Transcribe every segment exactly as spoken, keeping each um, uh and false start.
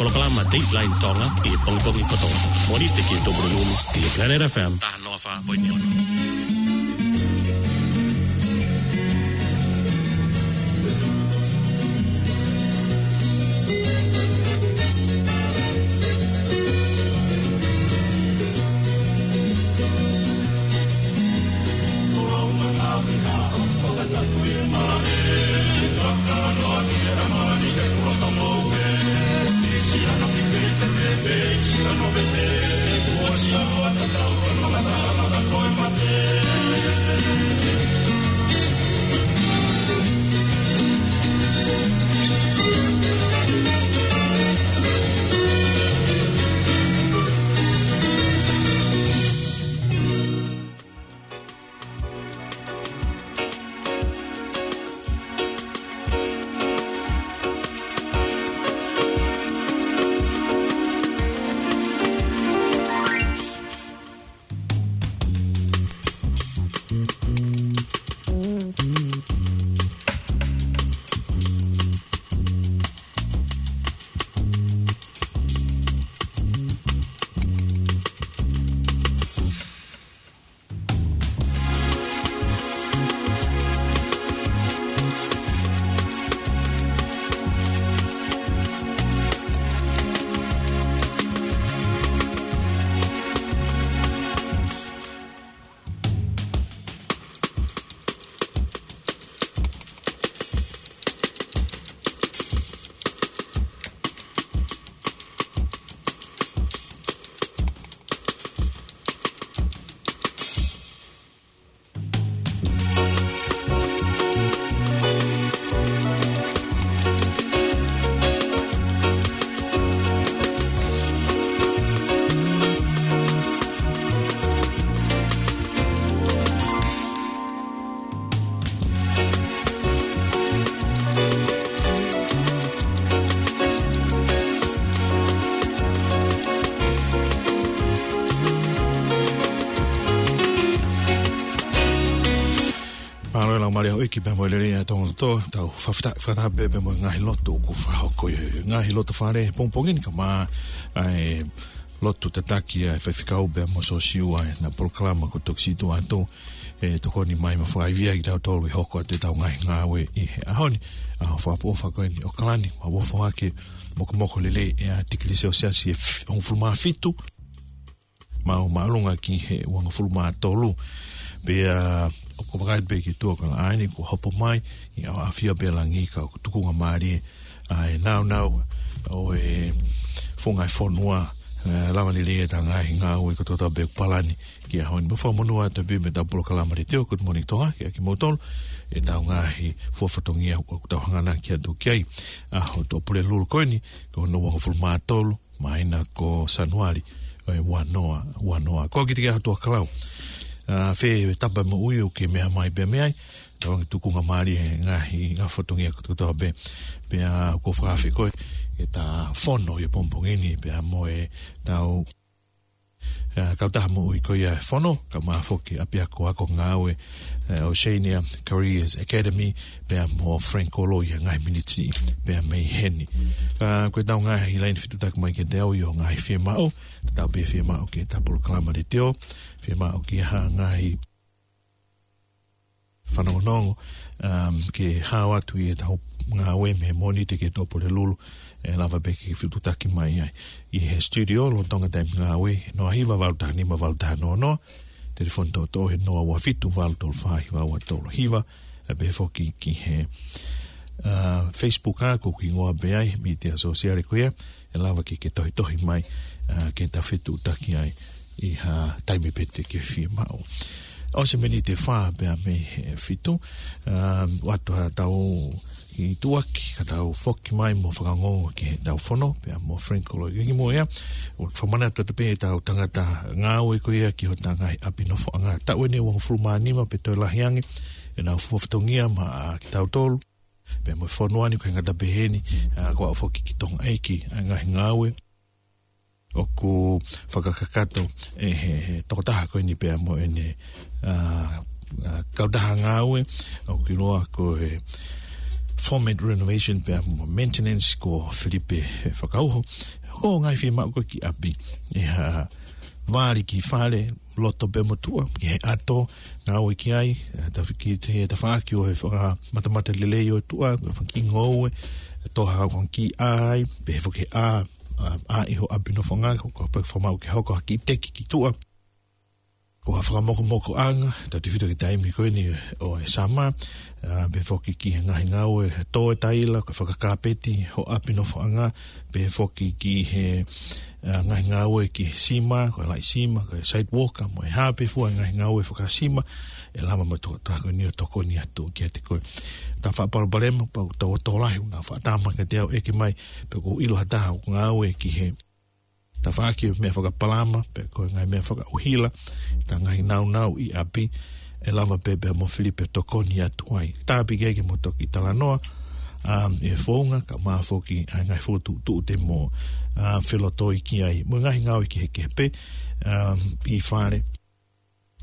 Polokalama Dateline Tonga ʻi he pongipongi kotoa. Mōnite ki he Tupulelulu ʻi he Planet F M. Taha noa fā poini ono. Mālō e laumālie ʻo e ʻEiki pea mo e lelei ʻa Tonga kotoa, tau fakafetaʻi, fakataha pē pea mo e ngaahi lotu ʻoku fakahoko ʻi he ngaahi loto fale pongipongi ni, kae ʻumaʻā e lotu tataki ʻa e faifekau pea mo Siosiua ʻi heʻena polokalama kuo toki situʻa atu, ʻe tokoni mai mo fakaivia kitautolu ʻi he hoko atu ʻetau ngaahi ngāue ʻi he ʻaho ni, ʻaho fakaʻofoʻofa ko eni ʻo ʻAokalani, maʻu ʻofa ake, mokomoko lelei ʻa e tikili selesiasi ʻe f-, hongofulu mā fitu, maʻu māʻolunga ki he uangofulu mā tolu. Pea ʻoku ou vakai pē ki tuʻa ʻo kalaʻaini kuo hopo mai, ʻi he ʻafio pē ʻa langi ka ʻoku tukunga mālie ʻa e nāunau ʻo e funga e fonua, ʻe lava lelei ʻetau ngaahi ngāue kotoa pē ʻoku palani ki he ʻaho ni. Mo fakamonū atu pē mei heʻetau polokalama letiō Good Morning Tonga, kiate kimoutolu, ʻetau ngaahi fua fatongia ʻoku tau hanganaki atu ki ai. ʻAho Tuʻapulelulu ko eni, ko hono uangofulu mā tolu, māhina ko Sānuali, ʻo e ua noa, ua noa. Ko kitautolu Tuʻakalau. ʻA, fē tapa moʻui ʻoku ke meʻa mai pea mei ai, tau ange tukunga mālie he ngaahi, ngaahi fatongia kotoa pē, pea ʻoku ou fakaafe koe, ke ta fono ʻi he pongipongi ni, pea mo ʻetau, ʻa, kautaha moʻui ko ia e fono, kae ʻumaʻā foki ʻapiako ako ngāue, ʻa, Oceania Careers Academy, pea mo Frank Kolo ʻi he ngaahi miniti pea mei heni. ʻA, ko ʻetau ngaahi laine fetuʻutaki mai kiate au ʻi hoʻo ngaahi fiemaʻu, tatau pē fiemaʻu ki heʻetau polokalama letiō, fiemaʻu ki ha ngaahi fanongonongo, um, ke hao atu ʻi heʻetau ngāue mei he Mōnite ki he Tuʻapulelulu, ʻe lava pē ke fetuʻutaki mai ai. ʻI he studio, lolotonga taimi ngāue, noa hiva valu taha nima valu taha noa noa, telefoni toʻotoʻo he noa ua fitu valu tolu fā hiva ua tolu hiva, ʻa, pehē foki ki he, ʻa, Facebook ʻa, ko hoku hingoa pē ai, mītia sōsiale ko ia, ʻe lava ke ke tohitohi mai, ʻa, ke ta fetuʻutaki ai ʻi ha taimi pē te ke fiemaʻu. ʻOsi e miniti ʻe fā pea mei he fitu, ʻa, ʻoatu haʻatau kiʻi tuʻuaki, ka tau foki mai mo fakaongoongo ki heʻetau fono, pea mo Frank Kolo. Kimuʻa ia, ʻoku fakamanatu atu pē ʻetau tangata ngāue ko ia ki hotau ngaahi ʻapi nofoʻanga. Taʻu eni ʻe uangofulu mā nima pe toe lahi ange, ʻenau fua fatongia maʻa kitautolu pea mo e fonua ni, ʻoku ʻikai ngata pē heni, ʻa, ko e aʻu foki ki Tonga ʻEiki, ʻa e ngaahi ngāue ʻoku fakakakato ʻe he, he tokotaha ko eni pea mo ʻene, ʻa, ʻa, kautaha ngāue, ʻoku ʻiloa ko e foment renovation pea mo maintenance ko Filipe Fakauho. Ko e ngaahi fiemaʻu ko ē ki ʻapi, ʻi ha vali ki fale, loto pea mo tuʻa, ki he ʻato, ngāue ki ai, ʻe, tafi ki he tafaʻaki ʻo e fakamatamata lelei ʻo e tuʻa, ko e fanga kiʻi ngoue, toha ko e kiʻi ʻā, pehē foki ʻā, ʻā, ʻā ʻi ho ʻapi nofoʻanga, ko, ko e fakamaʻu ke hoko ha kiʻi teki ki tuʻa. Ko ha fakamokomokoʻanga, tautefito ki he taimi ko eni ʻo e summer, ʻa, pehē foki ki he ngaahi ngāue, he tō e taila, ko e fakakapeti ho ʻapi nofoʻanga, pehē foki ki he, ʻa, ngaahi ngāue ki he sima, ko e laʻi sima, ko e sidewalk, mo e hā pē fua ngaahi ngāue fakasima, ʻe lava mo e tokotaha ko eni ʻo tokoni atu kiate koe. Taha faʻa palopalema, pau tau tō lahi, ʻoku nau faʻa tama kiate au ʻeke mai, pe ʻoku ou ʻilo ha taha ʻoku ngāue ki he tafaʻaki ʻo e meʻa fakapalama, pe ko e ngaahi meʻa fakaʻuhila, ta ngaahi naunau ʻi ʻapi, ʻe lava pē pea mo Filipe tokoni atu ai. Tāpuekina ke mo toki talanoa, um, ʻi he founga, kae ʻumaʻā foki ʻa e ngaahi fokotuʻutuʻu te mo, um, felotoi ki ai. Mo e ngaahi ngāue kehekehe pē, um, ʻi fale,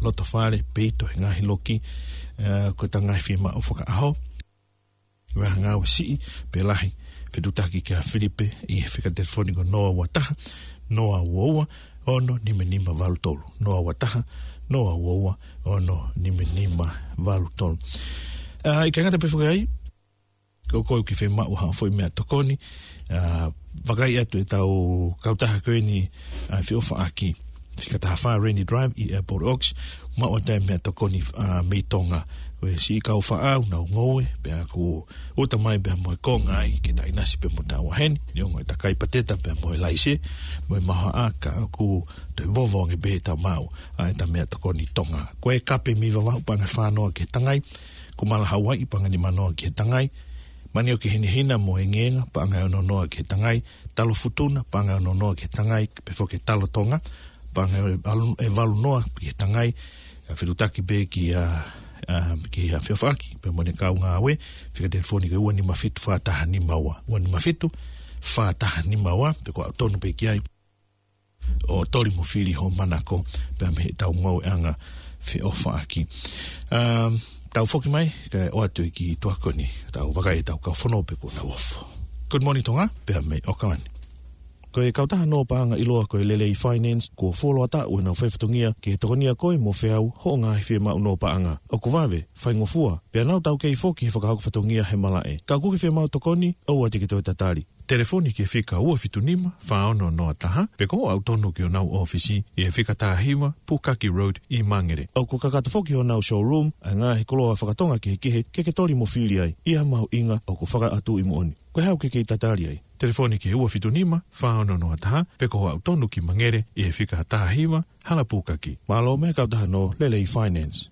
loto fale, peito he ngaahi loki, uh, ko e ta ngaahi fiemaʻu fakaʻaho. Ko e ngāue siʻi pe lahi, fetuʻutaki kia Filipe ʻi he fika telefoni ko noa ua taha, noa ua ua, ono nima nima valu tolu. Noa ua taha, noa ua ua, ono nima nima valu tolu. ʻA, ʻikai ngata pē foki ai, ko koe ʻoku ke fiemaʻu ha foʻi meʻatokoni, ʻa, vakai atu ʻetau kautaha ko eni, ʻa, feʻofaʻaki. Fika taha fā Rainy Drive ʻi Airport Oaks, maʻu atu e meʻatokoni, ʻa, mei Tonga. Ko e siʻi kau faʻa ʻoku nau ngoue, pea ʻoku ʻuta mai pea mo e konga ai, ke ta ʻinasi pea mo taua heni, neongo e takai pateta pea mo e laise, mo e mahaʻa ka ʻoku toe vovo ange pē ʻeta maʻu, ʻa, ʻeta meʻatokoni Tonga. Ko e kape mei Vavaʻu paʻanga ʻe fā noa ki he tangai, ko e mala Hauaiʻi paʻanga ʻe nima noa ki he tangai, manioki hinehina mo e ngēnga, paʻanga ʻe ono noa ki he tangai, talo futuna, paʻanga ʻe ono noa ki he tangai, pehē foki e talo Tonga, paʻanga ʻe valu, ʻe valu noa ki he tangai, ʻa, fetuʻutaki pē kia, ʻa, kia feʻofaʻaki, pea mo ʻene kau ngāue, fika telefoni ko e ua nima fitu fā taha nima ua, ua nima fitu fā taha nima ua, pe ko e ʻalu tonu pē ki ai ʻo toli mo fili ho manako, pea mei heʻetau ngāueʻanga feʻofaʻaki. Um, tau foki mai, kae ʻoatu e kiʻi tuʻa ko eni, tau vakai ʻetau kau fanongo pe kuo nau ofo. Good morning, Tonga, pea mei ʻAokalani. Ko e kautaha nō paʻanga ʻiloa ko e Lelei Finance, kuo fuoloa taʻu ʻenau faifatongia ke tokonia koe mo feau hoʻo ngaahi fiemaʻu nō paʻanga. ʻOku vave, faingofua, pea nau taukei foki he fakahoko fatongia he malaʻe. Ka ʻoku ke fiemaʻu tokoni, ʻoua te ke toe tatali. Telefoni ki he fika ua fitu nima, fā ono noa taha, pe ko hoʻo ʻalu tonu ki honau ʻōfisi ʻi he fika taha hiva, Pukaki Road ʻi Mangere. ʻOku kakato foki honau showroom ʻa e ngaahi koloa fakatonga kehekehe ke ke toli mo fili ai, ʻi ha mahuʻinga ʻoku fakaʻatu ʻi moʻoni. Ko e hā ʻoku ke kei tatali ai? Telefoni ki he ua fitu nima, fā ono noa taha, pe ko hoʻo ʻalu tonu ki Mangere ʻi he fika taha hiva, Hala Pukaki. Mālō mei he kautaha nō Lelei Finance.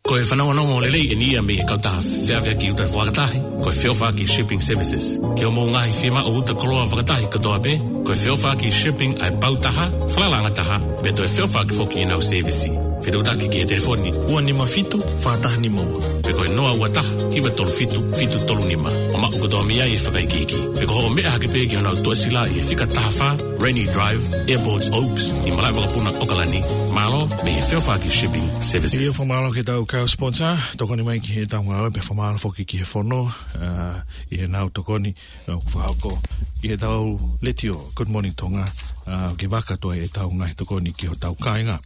Ko e fanongonongo lelei eni ia mei he kautaha feʻaveʻaki uta fakatahi, ko e Feʻofaʻaki Shipping Services. Ki hoʻomou ngaahi fiemaʻu uta koloa fakatahi kotoa pē, ko e Feʻofaʻaki Shipping ʻa e pau taha, falalaʻanga taha, pea toe feʻofaʻaki foki ʻenau sēvisi. Fetuʻutaki ki he telefoni ua nima fitu, fā taha nima ua, pe ko e noa ua taha, hiva tolu fitu, fitu tolu nima. ʻO maʻu kotoa mei ai e fakaikiiki. Pe ko hoʻo meʻa hake pē ki honau tuʻasila ʻi he fika taha fā, Rainy Drive, Airport Oaks, ʻi malaʻe vakapuna ʻAokalani. Mālō mei he Feʻofaʻaki Shipping Services. ʻIo, fakamālō ki heʻetau kau sponsor, tokoni mai ki heʻetau ngāue, pea fakamālō foki ki he fono, ʻa, ʻi heʻenau tokoni, ʻa, fakahoko ʻi heʻetau letiō, Good Morning Tonga, ʻa, ke fakakakato ai ʻetau ngaahi tokoni ki hotau kāinga.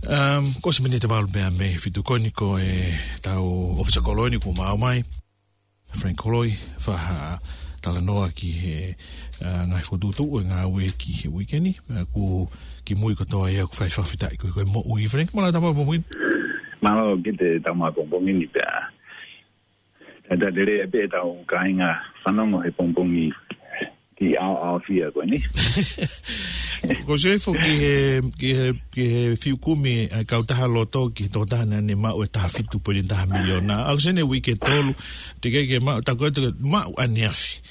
Um, ko e miniti ʻe valu pea mei he fitu ko eni ko ʻetau ʻōfisa kolo eni kuo maʻu mai. Frank Koloi, fakatalanoa ki he, ʻa, ngaahi fokotuʻutuʻu ʻe ngāue ki he uike ni, ʻa, ʻoku kimui kotoa ia ʻoku fai fakafetaʻi ko e, ko e moʻui, Frank, mālō e tau maʻu pongipongi ni. Mālō ki he tau maʻu pongipongi ni pea. Talitali lelei pē ʻetau kāinga fanongo he pongipongi ki ʻaoʻaofia ko eni. Ko e sio foki ki he, ki he, ki he fiu kumi ʻa e kautaha loto ki he tokotaha naʻa ne maʻu e taha fitu poini taha miliona. ʻAho ʻeni uike tolu, teʻeki ke maʻu, tā ko ē te ke maʻu ʻaneafi.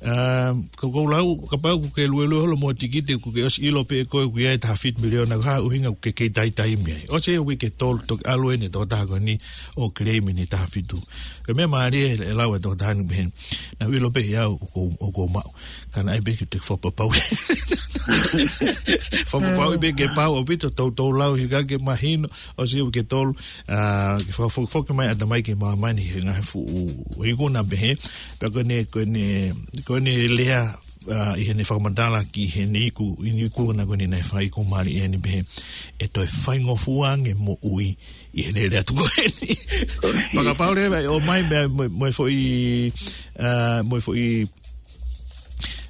Um, ko ʻeku lau, kapau ʻoku ke luelue holo mo e tikite, ʻoku ke ʻosi ʻilo pē ʻe koe ʻoku ʻi ai e taha fitu miliona, ko e hā e ʻuhinga ʻoku ke kei taitaimi ai? ʻOsi e uike ʻe tolu toki ʻalu eni e tokotaha ko eni ʻo claim eni e taha fitu. Ko e meʻa mālie e lau e tokotaha ni pehē ni. Naʻá ku ʻilo pē ʻe au ʻoku, ʻoku ou maʻu. Ka naʻe ʻai pē ke u toe fakapapauʻi. Fakapapauʻi pē ke pau ʻaupito, toutou lau hifo ke mahino, ʻosi e uike ʻe tolu, ʻa, ke fakafokifoki mai ʻatamai ki māmani he ngaahi fuʻu ikuna pehē. Pea ko ʻene, ko ʻene, ko ʻene lea, ʻa, ʻi heʻene fakamatala ki heʻene iku, ʻi heʻene ikuna ko eni naʻe fai, ʻoku mālie eni pehē, ʻe toe faingofua ange moʻui ʻi heʻene lea tuku eni. Fakapapauʻi leva ʻe ʻomai mo e, mo e, mo e foʻi, ʻa, mo e foʻi,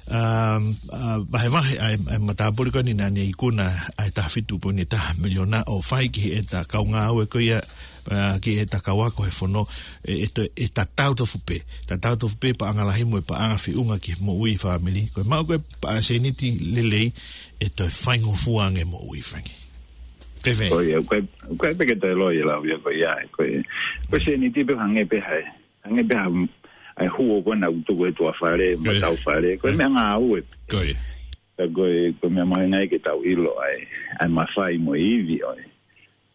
um, ʻa, vahevahe ʻa e, ʻa e matāpule ko eni naʻá ne ikuna ʻa e taha fitu poini taha miliona ʻo fai ki heʻeta kau ngāue ko ia, ʻa, ki heʻeta kau ako he fono, ʻe, ʻe to-, ʻe tatau tofu pē. Tatau tofu pē paʻanga lahi mo e paʻanga feʻunga ki he moʻui fāmili. Ko e maʻu ko ē paʻanga sēniti lelei, ʻe toe faingofua ange moʻui, Frankie. Fēfē? Ko ia, ko e, ko e peke toe loi e lau ia ko ia, ko e, ko e sēniti pē hangē pē ha, hangē pē ha, ʻa e huo ko ena ʻoku tuku he tuʻa fale, Ko ia. matau fale, ko e meʻangāue. Ko ia. Ka ko e, ko e meʻa mahuʻinga ke tau ʻilo ʻa e, ʻa e mafai mo e ivi ʻo e,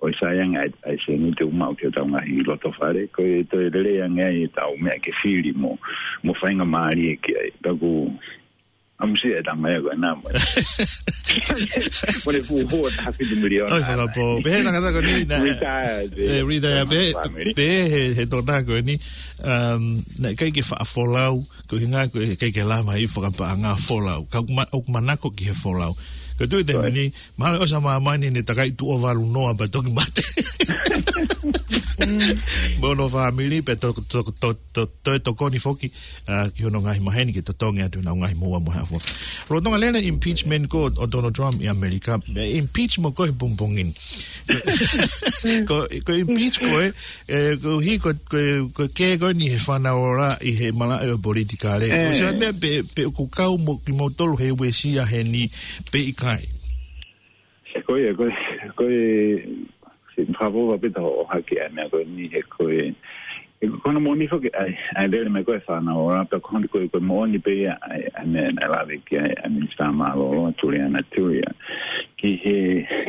ʻo e sai ange ʻa e, ʻa e sēniti ʻoku maʻu ki hotau ngaahi loto fale, ko e toe lelei ange ai ʻetau meʻa ke fili mo, mo faingamālie ki ai. Pea ʻoku ʻamusia e tama ia ko ena mo e, mo ʻene fuʻu huo taha fitu miliona. ʻOi, fakapō. Pehē ʻe he tangata ko eni naʻe, Retire, ʻe, retire, pē, family. Pehē ʻe he, he tokotaha ko eni, um, naʻe ʻikai ke faʻa folau, ko e ʻuhinga ko e ʻikai ke lava ʻi fakapaʻanga folau. Ka ʻoku ma-, ʻoku manako ki he folau. Ko e tuʻu ʻi he taimi ni, mahalo ʻosi ʻa māmani ʻene takai tuʻo valu noa pea toki mate. Mo hono fāmili pea to-, to-, to-, to-, toe tokoni foki, ʻa, ki hono ngaahi maheni ke totongi atu ʻenau ngaahi moʻua mo e hā fua. Lolotonga lele e impeachment ko ē ʻo Donald Trump ʻi ʻAmelika, ʻe impeach mo koe he pongipongi ni. Ko, ko e impeach ko ē, ʻe, koeʻuhi ko, ko, ko e kē ko eni he fānauraʻa ʻi he malaʻe ʻo e politikale. ʻE. Ko e hā e meʻa pē, pe ʻoku kau mo kimoutolu he uesia heni pe ʻikai? Ko ia, ko e, ko e, si, fakapō pē tau ʻohake ʻa e meʻa ko eni he ko e, he ko hono moʻoni foki ʻa e, ʻa e lele mai ko ē e fānauraʻa, pea ko hono ko e, ko e moʻoni pē ia ʻa e, ʻa e meʻa naʻe lave ki ai ʻa e Minisitā Mālōlō, Tuliana Tulia. Ki he,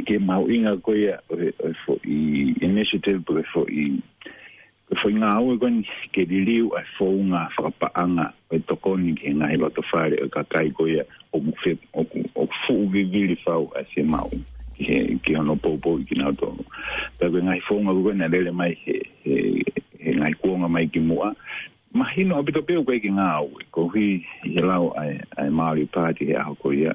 ki he mahuʻinga ko ia ʻo e, ʻo e foʻi initiative, pe ko e foʻi ko e foʻi ngāue ko eni ke liliu ʻa e founga fakapaʻanga ʻo e tokoni ki he ngaahi loto fale ʻo e kakai ko ia ʻoku fe-, ʻoku, ʻoku fuʻu vivili fau ʻa e fiemaʻu ki he, ki hono poupouʻi kinautolu. Pea ko e ngaahi founga ko ē naʻe lele mai he, he, he ngaahi kuonga mai ki muʻa, mahino ʻaupito pē ʻoku ʻikai ke ngāue, koeʻuhi ʻi he lau ʻa e, ʻa e Māori Party he ʻaho ko ia.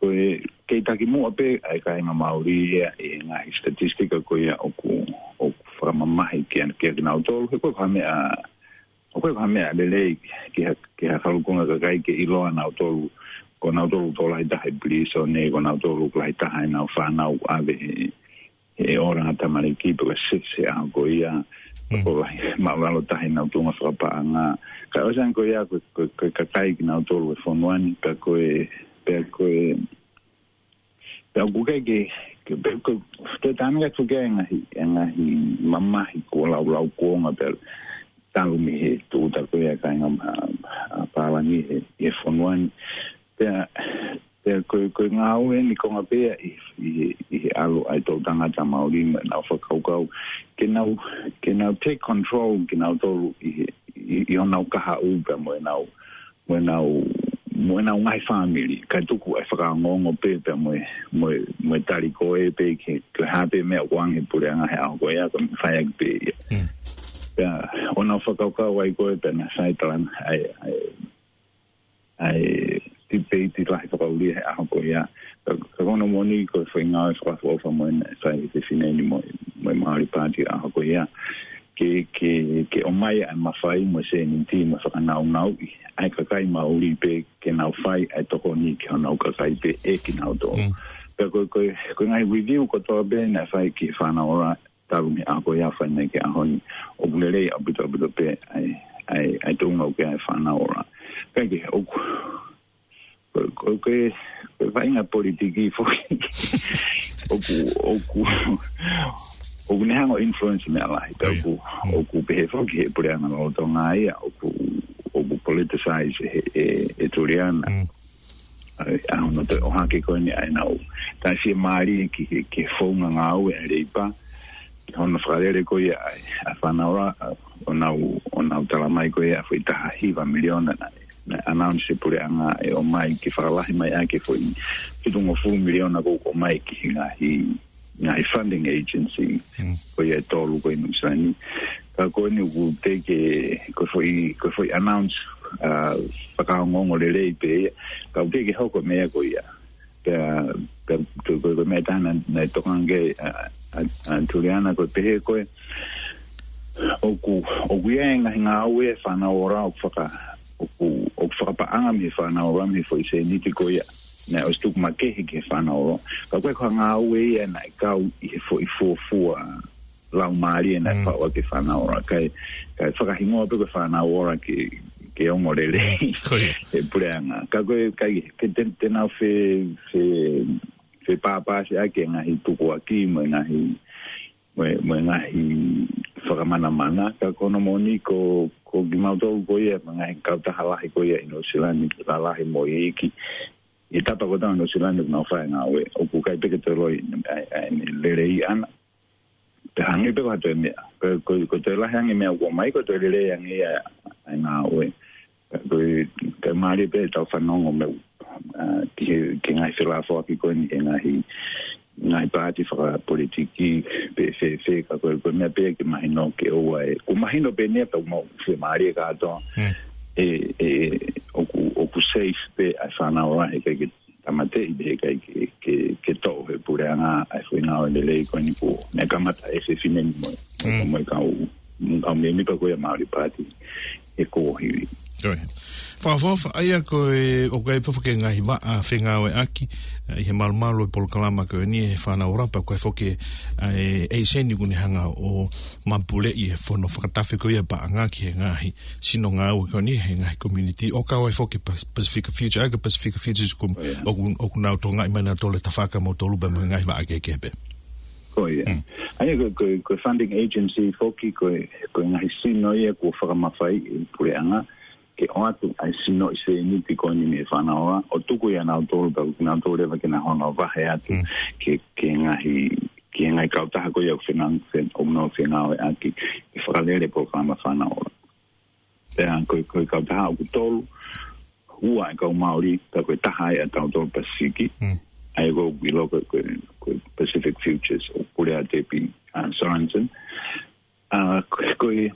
Ko e kei taki muʻa pē ʻa e kāinga Māori ia ʻi he ngaahi statistika ko ia ʻoku, ʻoku fakamamahi kia, kia kinautolu. He ko e, ko e meʻa, ko e, ko e meʻa lelei ki ha, ki ha falukunga kakai ke ʻiloa nautolu, ko nautolu ʻoku tokolahi taha ʻi pilīsone, ko nautolu ʻoku lahi taha ʻenau fānau ʻave he, he ora ʻa e tamaliki pe ko e sese ʻaho ko ia, Mm. ko e lahi, māʻulalo taha ʻenau tuʻunga fakapaʻanga. Ka ʻosi ange ko ia ko, ko, ko e kakai kinautolu e fonua ni, pea ko e, pea ko e, pea ʻoku ʻikai ke, ke, pea ko e, te tana ka tuke e ngaahi, e ngaahi mamahi ko e laulau kuonga pea talu mei he tūʻuta ko ia e kāinga ma-, ʻa pālangi he, he fonua ni. Pea, pea ko e, ko e ngāue eni konga pē ia ʻi, ʻi, ʻi he ʻalu ʻa e toʻutangata Māori mo ʻenau fakakaukau ke nau, ke nau take control kinautolu ʻi he, ʻi, ʻi honau kahaʻu pea mo ʻenau, mo ʻenau, mo ʻenau ngaahi fāmili, kae tuku ʻa e fakaongoongo pē, pea mo e, mo e, mo e tali ko ē pē ke, ke hā pē meʻa ʻoku ʻange he puleʻanga he ʻaho ko ia, ko e fai ʻaki pē ia. Mm. Pea, ʻo nau fakakaukau ai ko ē, pea naʻe fai e talanoa, ʻa e, ʻa e, ʻa e tipeiti lahi fakaʻuli he ʻaho ko ia. Ka, ka ko hono moʻoni ko e foʻi ngāue fakaʻofoʻofa mo eni naʻe fai ʻe he fefine ni mo, mo e Māori Party he ʻaho ko ia. Ke, ke, ke ʻomai ʻa e mafai mo e sēniti mo e fakanaunauʻi ʻa e kakai Māori pē ke nau fai ʻa e tokoni ki honau kakai pē ʻe kinautolu. Mm. Pea ko e, ko e, ko e ngaahi review kotoa pē naʻe fai ki he fānauraʻa talu mei he ʻaho ko ia ʻo aʻu mai ki he ʻaho ni, ʻoku lelei ʻaupito, ʻaupito pē ʻa e, ʻa e, ʻa e tuʻunga ʻoku ʻi ai e fānauraʻa. Kae kehe, ʻoku, ko, ko, ko e, ko e vaʻinga politiki foki. ʻOku, ʻoku, ʻoku ne hanga ʻo influence meʻa lahi. Pea ʻoku, ʻoku pehē foki he puleʻanga lolotonga ia, ʻoku, ʻoku politicize e, e, e Tuliana. Mm. ʻA, ʻa hono toe ʻohake ko eni ʻa ʻenau. Tā si e mālie ki, ki, ki he founga ngāue ʻa e Leipa. Ki hono fakalele ko ia ʻa, ʻa Fanaora, ʻa, ʻo nau, ʻo nau tala mai ko ia ʻa e foʻi taha hiva miliona naʻe, naʻe announce e puleʻanga ʻe ʻomai ke fakalahi mai ʻaki e foʻi fitungofulu miliona ko ē ʻoku ʻomai ki he ngaahi ngaahi funding agency, Mm. ko ia ʻe tolu ko ē ʻi Nuʻu Sila ni. Ka ko eni ʻoku teʻeki ke, ko e foʻi, ko e foʻi announce, ʻa, fakaongoongo lelei pē ia. Ka ʻoku teʻeki ke hoko e meʻa ko ia. Pea, pea, ko, ko, ko e meʻa ʻe taha naʻe, naʻe tokanga ki ai, ʻa, ʻa, ʻa Tuliana ko e pehē ko ē, ʻoku, ʻoku ʻi ai e ngaahi ngāue ʻa e Fanaora ʻoku faka-, ʻoku, ʻoku fakapaʻanga mei he Fanaora mei he foʻi sēniti ko ia. Naʻe ʻosi tuku makehe ki he Fanaora. Ka ko e ko e ngāue ia naʻe kau ʻi he foʻi fuofua laumālie naʻe Mm. faʻu ʻaki e Fanaora. Kae, kae fakahingoa pē ko e Fanaora ke, ke ongo lelei. Ko ia. E puleʻanga. Ka ko e, kai, ke te, te nau fe, fe, fepāpāsiʻaki e ngaahi tukuakiʻi mo e ngaahi mo e, mo e ngaahi fakamanamana, ka ko hono moʻoni ko, ko kimautolu ko ia, mo e ngaahi kautaha lahi ko ia ʻi Nuʻu Sila ni, lalahi mo e iiki. ʻI he tapa kotoa ʻo Nuʻu Sila ni ʻoku nau fai e ngāue, ʻoku ʻikai pē ke toe loi, ʻa, ʻa, ʻa e lelei ʻana. Pea hangē pē ko ha toe meʻa, ko, ko, ko e toe lahi ange e meʻa ʻoku ʻomai ko e toe lelei ange ia ʻa e ngāue. Ka ko e, ka mālie pē ʻetau fanongo mo e, ʻa, ki he, ki he ngaahi felāfoaki ko eni he ngaahi, ngaahi paati fakapolitiki pe fēfē, ka ko e, ko e meʻa pē ke mahino ke ʻoua ʻe, ʻoku mahino pē eni ia ka ʻoku mau fiemālie kātoa. Mm. ʻE, ʻe, ʻoku, ʻoku safe pē ʻa e Fanaora, heʻikai ke tāmateʻi pe heʻikai ke, ke, ke toʻo ʻe he puleʻanga ʻa e foʻi ngāue lelei ko eni ko ē naʻe kamata ʻe he fefine ni mo e, Mm. mo e kau, mo e kau mēmipa ko ia Maori Party he kōhivi. Ko ia. Fakaʻofoʻofa, ʻa ia ko e, ʻoku ʻi ai pē foki e ngaahi vaʻa fengāueʻaki, ʻa, ʻi he malumalu e polokalama ko eni ʻa e Fanaora pea ko e foki, ʻa, e, e ʻeiseni ʻoku ne hanga ʻo mapuleʻi e fono fakatafe ko ia paʻanga ki he ngaahi sino ngāue ko eni he ngaahi community ʻo kau ai foki Pas-, Pacific Futures, ʻa ia ko e Pacific Futures ko, Oh, yeah. ʻoku, ʻoku nau tokangaʻi mai nautolu e tafaʻaki ʻa moutolu pea mo e ngaahi vaʻa kehekehe pē. Ko ia. Mm. ʻA ia ko, ko, ko e funding agency foki ko, ko e ngaahi sino ia kuo fakamafaiʻi ʻe he puleʻanga ke ʻoatu ʻa e sinoʻi sēniti ko eni mei he Fanaora ʻo tuku ia nautolu pea nautolu leva ke nau hanga ʻo vahe atu Mm. ki he, ki he ngaahi, ki he ngaahi kautaha ko ia ʻoku fenang-, fen-, ʻoku nau fengāueʻaki ke fakalele e polokalama Fanaora. Pea ko e, ko e kautaha ʻoku tolu, ua ʻa e kau Maori, pea ko e taha ia ʻa tautolu Pasifiki. Mm. ʻA ia ko e ʻilo ko e, ko e, ko e Pacific Futures ʻoku pule ʻa Debbie, ʻa, Sorensen. ʻA, ko e, ko e,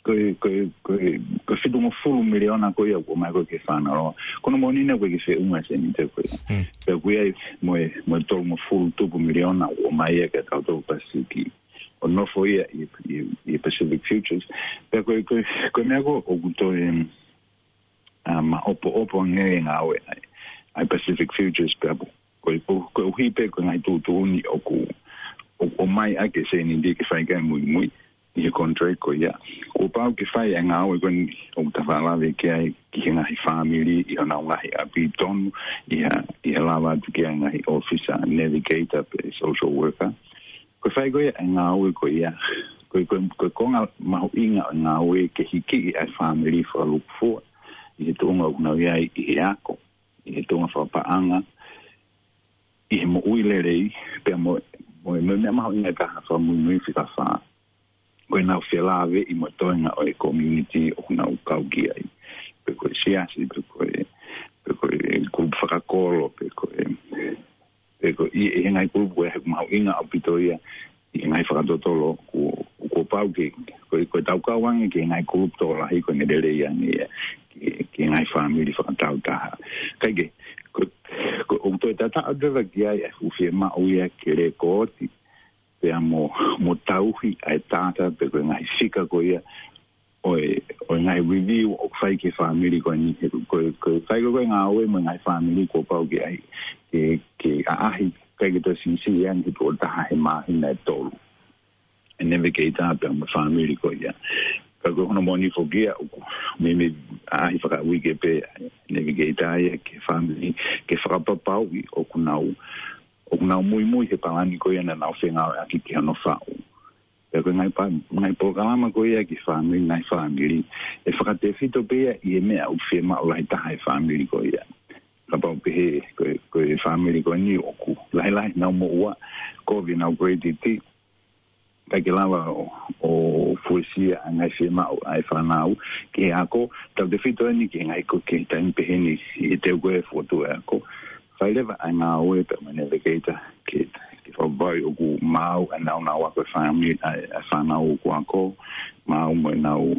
ko e, ko e, ko e, ko e fitungofulu miliona ko ia ʻoku ʻomai ko ē ki he Fanaora. Ko hono moʻoni naʻe ʻikai ke feʻunga e sēniti ko ia. Mm. Pea ʻoku ʻi ai mo e, mo e tolungofulu tupu miliona ʻoku ʻomai ia ki he tautolu Pasifiki. ʻO nofo ia ʻi, ʻi, ʻi Pacific Futures. Pea ko e, ko e, ko e meʻa ko ē ʻoku toe, ʻa, maʻopoʻopo ange e ngāue ʻa e, ʻa e Pacific Futures pea ko, ko, ko, koeʻuhi pē ko e ngaahi tuʻutuʻuni ʻoku, ʻoku ʻomai ʻaki e sēniti ke fai ki ai e muimui ʻi he contract ko ia. Kuo pau ke fai e ngāue ko eni ʻoku ta faʻa lave ki ai ki he ngaahi fāmili ʻi honau ngaahi ʻapi tonu, ʻi ha, ʻi ha lava atu ki he ngaahi ʻōfisa navigator pe social worker. Ko e fai ko ia e ngāue ko ia, ko e, ko e, ko e konga mahuʻinga ʻo e ngāue ke hikiʻi ʻa e fāmili fakalūkufua ʻi he tuʻunga ʻoku nau ʻi ai ʻi he ako, ʻi he tuʻunga fakapaʻanga, ʻi he moʻui lelei, pea mo, mo, mo e meʻa mahuʻinga taha fakamuimui fika fā. Ko ʻenau felāveʻi mo e toenga ʻo e community ʻoku nau kau ki ai. Pe ko e siasi, pe ko e, pe ko e kulupu fakakolo, pe ko e, pe ko e, ʻi he ngaahi kulupu ko ē he ʻoku mahuʻinga ʻaupito ia ʻi he ngaahi fakatotolo kuo, kuo pau ke, ko e, ko e tau kau ange ki he ngaahi kulupu tokolahi ko ʻene lelei ange ia ki, ki he ngaahi fāmili fakataautaha. Kae kehe, ko, ko, ʻoku toe tataʻu atu leva ki ai ʻa e fuʻu fiemaʻu ia ke lēkooti pea mo, mo tauhi ʻa e data pe ko e ngaahi fika ko ia ʻo e, ʻo e ngaahi review ʻoku fai ki he fāmili ko eni, he ko, ko, ko e fai ko ē e ngāue mo e ngaahi fāmili kuo pau ke ʻai, ke, ke ʻaʻahi, ʻikai ke toe siʻisiʻi ange he tuʻo taha he māhina ʻe tolu. E navigator pea mo e fāmili ko ia. Ka ko hono moʻoni foki ia ʻoku meimei ʻaʻahi fakauike pē e navigator ia ki he fāmili ke fakapapauʻi ʻoku nau, ʻoku nau muimui he palani ko ia naʻa nau fengāueʻaki ki hono faʻu. Pea ko e ngaahi pa-, ngaahi polokalama ko ia ki he fāmili, ngaahi fāmili, ʻe fakatefito pē ia ʻi he meʻa ʻoku fiemaʻu lahi taha ʻe he fāmili ko ia. Kapau pehē, ko e, ko e fāmili ko eni ʻoku lahilahi ʻenau moʻua, kovi ʻenau credit, ʻikai ke lava ʻo, ʻo fuesia ʻa e ngaahi fiemaʻu ʻa e fānau ki he ako, tautefito eni ki he ngaahi ko ke taimi pehē ni ʻi he teu ko e fotu e ako. Fai leva ʻa e ngāue pea mo e navigator ke, ke fakavavevave ʻoku maau ʻa e naunau ako e fāmili, ʻa e, ʻa e fānau ʻoku ako, maau mo ʻenau,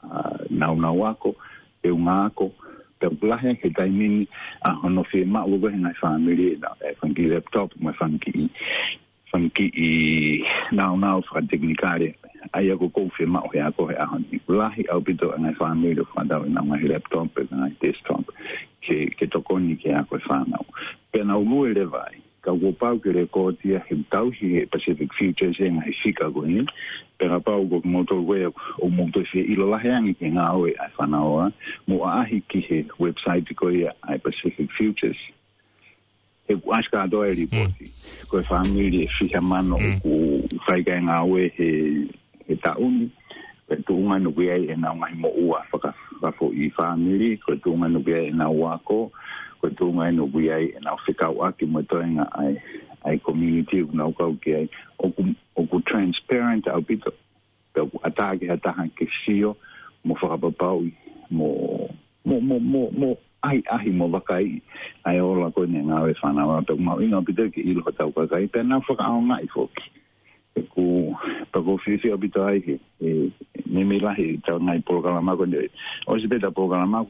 ʻa, naunau ako, teunga ako, pea ʻoku lahi he taimi ni ʻa hono fiemaʻu ko ē he ngaahi fāmili ʻe na, ʻe fanga kiʻi laptop, mo e fanga kiʻi, fanga kiʻi naunau fakatekinikale. ʻA ia ko ē ʻoku fiemaʻu he ako he ʻaho ni. Lahi ʻaupito ʻa e ngaahi fāmili ʻoku fakatau ʻenau ngaahi laptop, pe ngaahi desktop, ke, ke tokoni ki he ako e fānau. Pea nau lue leva ai. Ka kuo pau ke lēkooti ia he tauhi he Pacific Futures e ngaahi fika ko eni. Pea kapau ko kimoutolu ko ē ʻoku mou toe fie ʻilo lahi ange ki he ngāue ʻa e fānau ʻa, mou ʻaʻahi ki he website ko ia ʻa e Pacific Futures. He ʻoku ʻasi kātoa e lipooti. Ko e fāmili ʻe fiha mano ʻoku fai ki ai e ngāue he, he taʻu ni. Ko e tuʻunga ʻoku ʻi ai ʻenau ngaahi moʻua faka-, fakafoʻi fāmili, ko e tuʻunga ʻoku ʻi ai ʻenau ako, ko e tuʻunga ʻoku ʻi ai ʻenau fekauʻaki mo e toenga ʻa e, ʻa e community ʻoku nau kau ki ai. ʻOku, ʻoku transparent ʻaupito. Pea ʻoku ʻatā ki ha taha ke sio, mo fakapapauʻi, mo, mo, mo, mo, mo ʻahiʻahi mo vakaiʻi ʻa e ola ko eni e ngāue fānau ʻa, pea ʻoku mahuʻinga ʻaupito ke ʻilo hotau kakai, pea nau fakaʻaongaʻi foki. ʻOku, pea ʻoku ou fiefia ʻaupito ai he, he, meimei lahi ʻetau ngaahi polokalama ko eni, ʻosi pē ʻetau polokalama,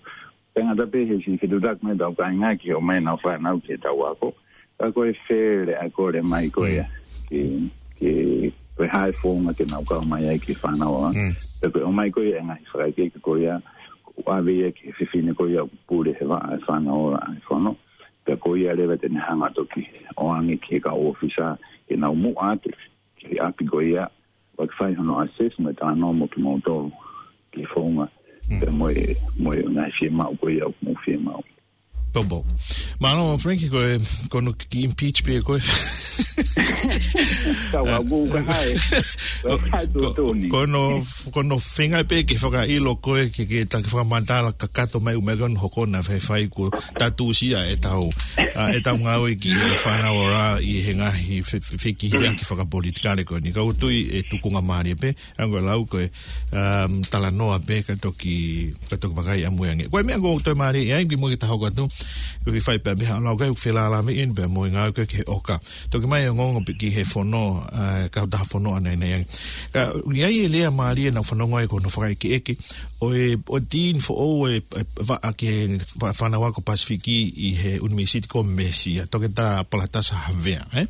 pea ngata pē he siʻi fetuʻutaki mai ʻetau kāinga ke ʻomai ʻenau fānau ki heʻetau ako. Ka ko e fele ʻa e kole mai ko ia, ke, ke, ko e hā e founga ke nau kau mai ai ki he fānau ʻa. Pea ko e ʻomai ko ia e ngaahi fakaʻekeʻeke ko ia, ʻoku ʻave ia ki he fefine ko ia ʻoku pule he vaʻa e fānau ʻa e fono. Pea ko ia leva te ne hanga toki ʻoange ki he kau ʻōfisa ke nau muʻa atu ki he ʻapi ko ia, ʻo fai hono assess mo e talanoa mo kimoutolu ki he founga, pea mo e, mo e ngaahi fiemaʻu ko ia ʻoku mou fiemaʻu. Popo. Mālō, Frank, ko e, ko hono kiʻi impeach pē ko ē. Tau au ka hai. Ka hai ko, tuʻutuʻuni. Ko hono, ko hono feinga pē ke fakaʻilo ko ē ke, ke taki fakamatala kakato mai ʻumaʻā ko hono hoko na fai fai ko tatusia ʻetau, ʻa, ʻetau ngāue ki he fānau ʻa ʻi he ngaahi fe-, fe-, fekihiaki fakapolitikale ko eni. Ka ʻoku ou tui ʻe tukunga mālie pē, ʻa ko e lau ko e, um, talanoa pē ka toki, ka toki vakai ʻamui ange. Ko e meʻa ʻoku ou toe mālie ai, ki muʻa ke ta hoko atu, ko e kiʻi fai pē meʻa ʻa lau kai ʻoku felālāveʻi eni pē mo e ngāue ko ē ki he ʻoka. Toki mai ongoongo pē ki he fono, ʻa, kautaha fono ʻanai nei ange. Ka, ʻi ai e lea mālie naʻa ku fanongo ai ko hono fakaʻekeʻeke, ʻo e, ʻo e Dean foʻou e, e, vaʻa ki he fā-, fānau ako Pasifiki ʻi he ʻUnivēsiti ko Mesi, ʻa Toketā Palatasa Havea, ē?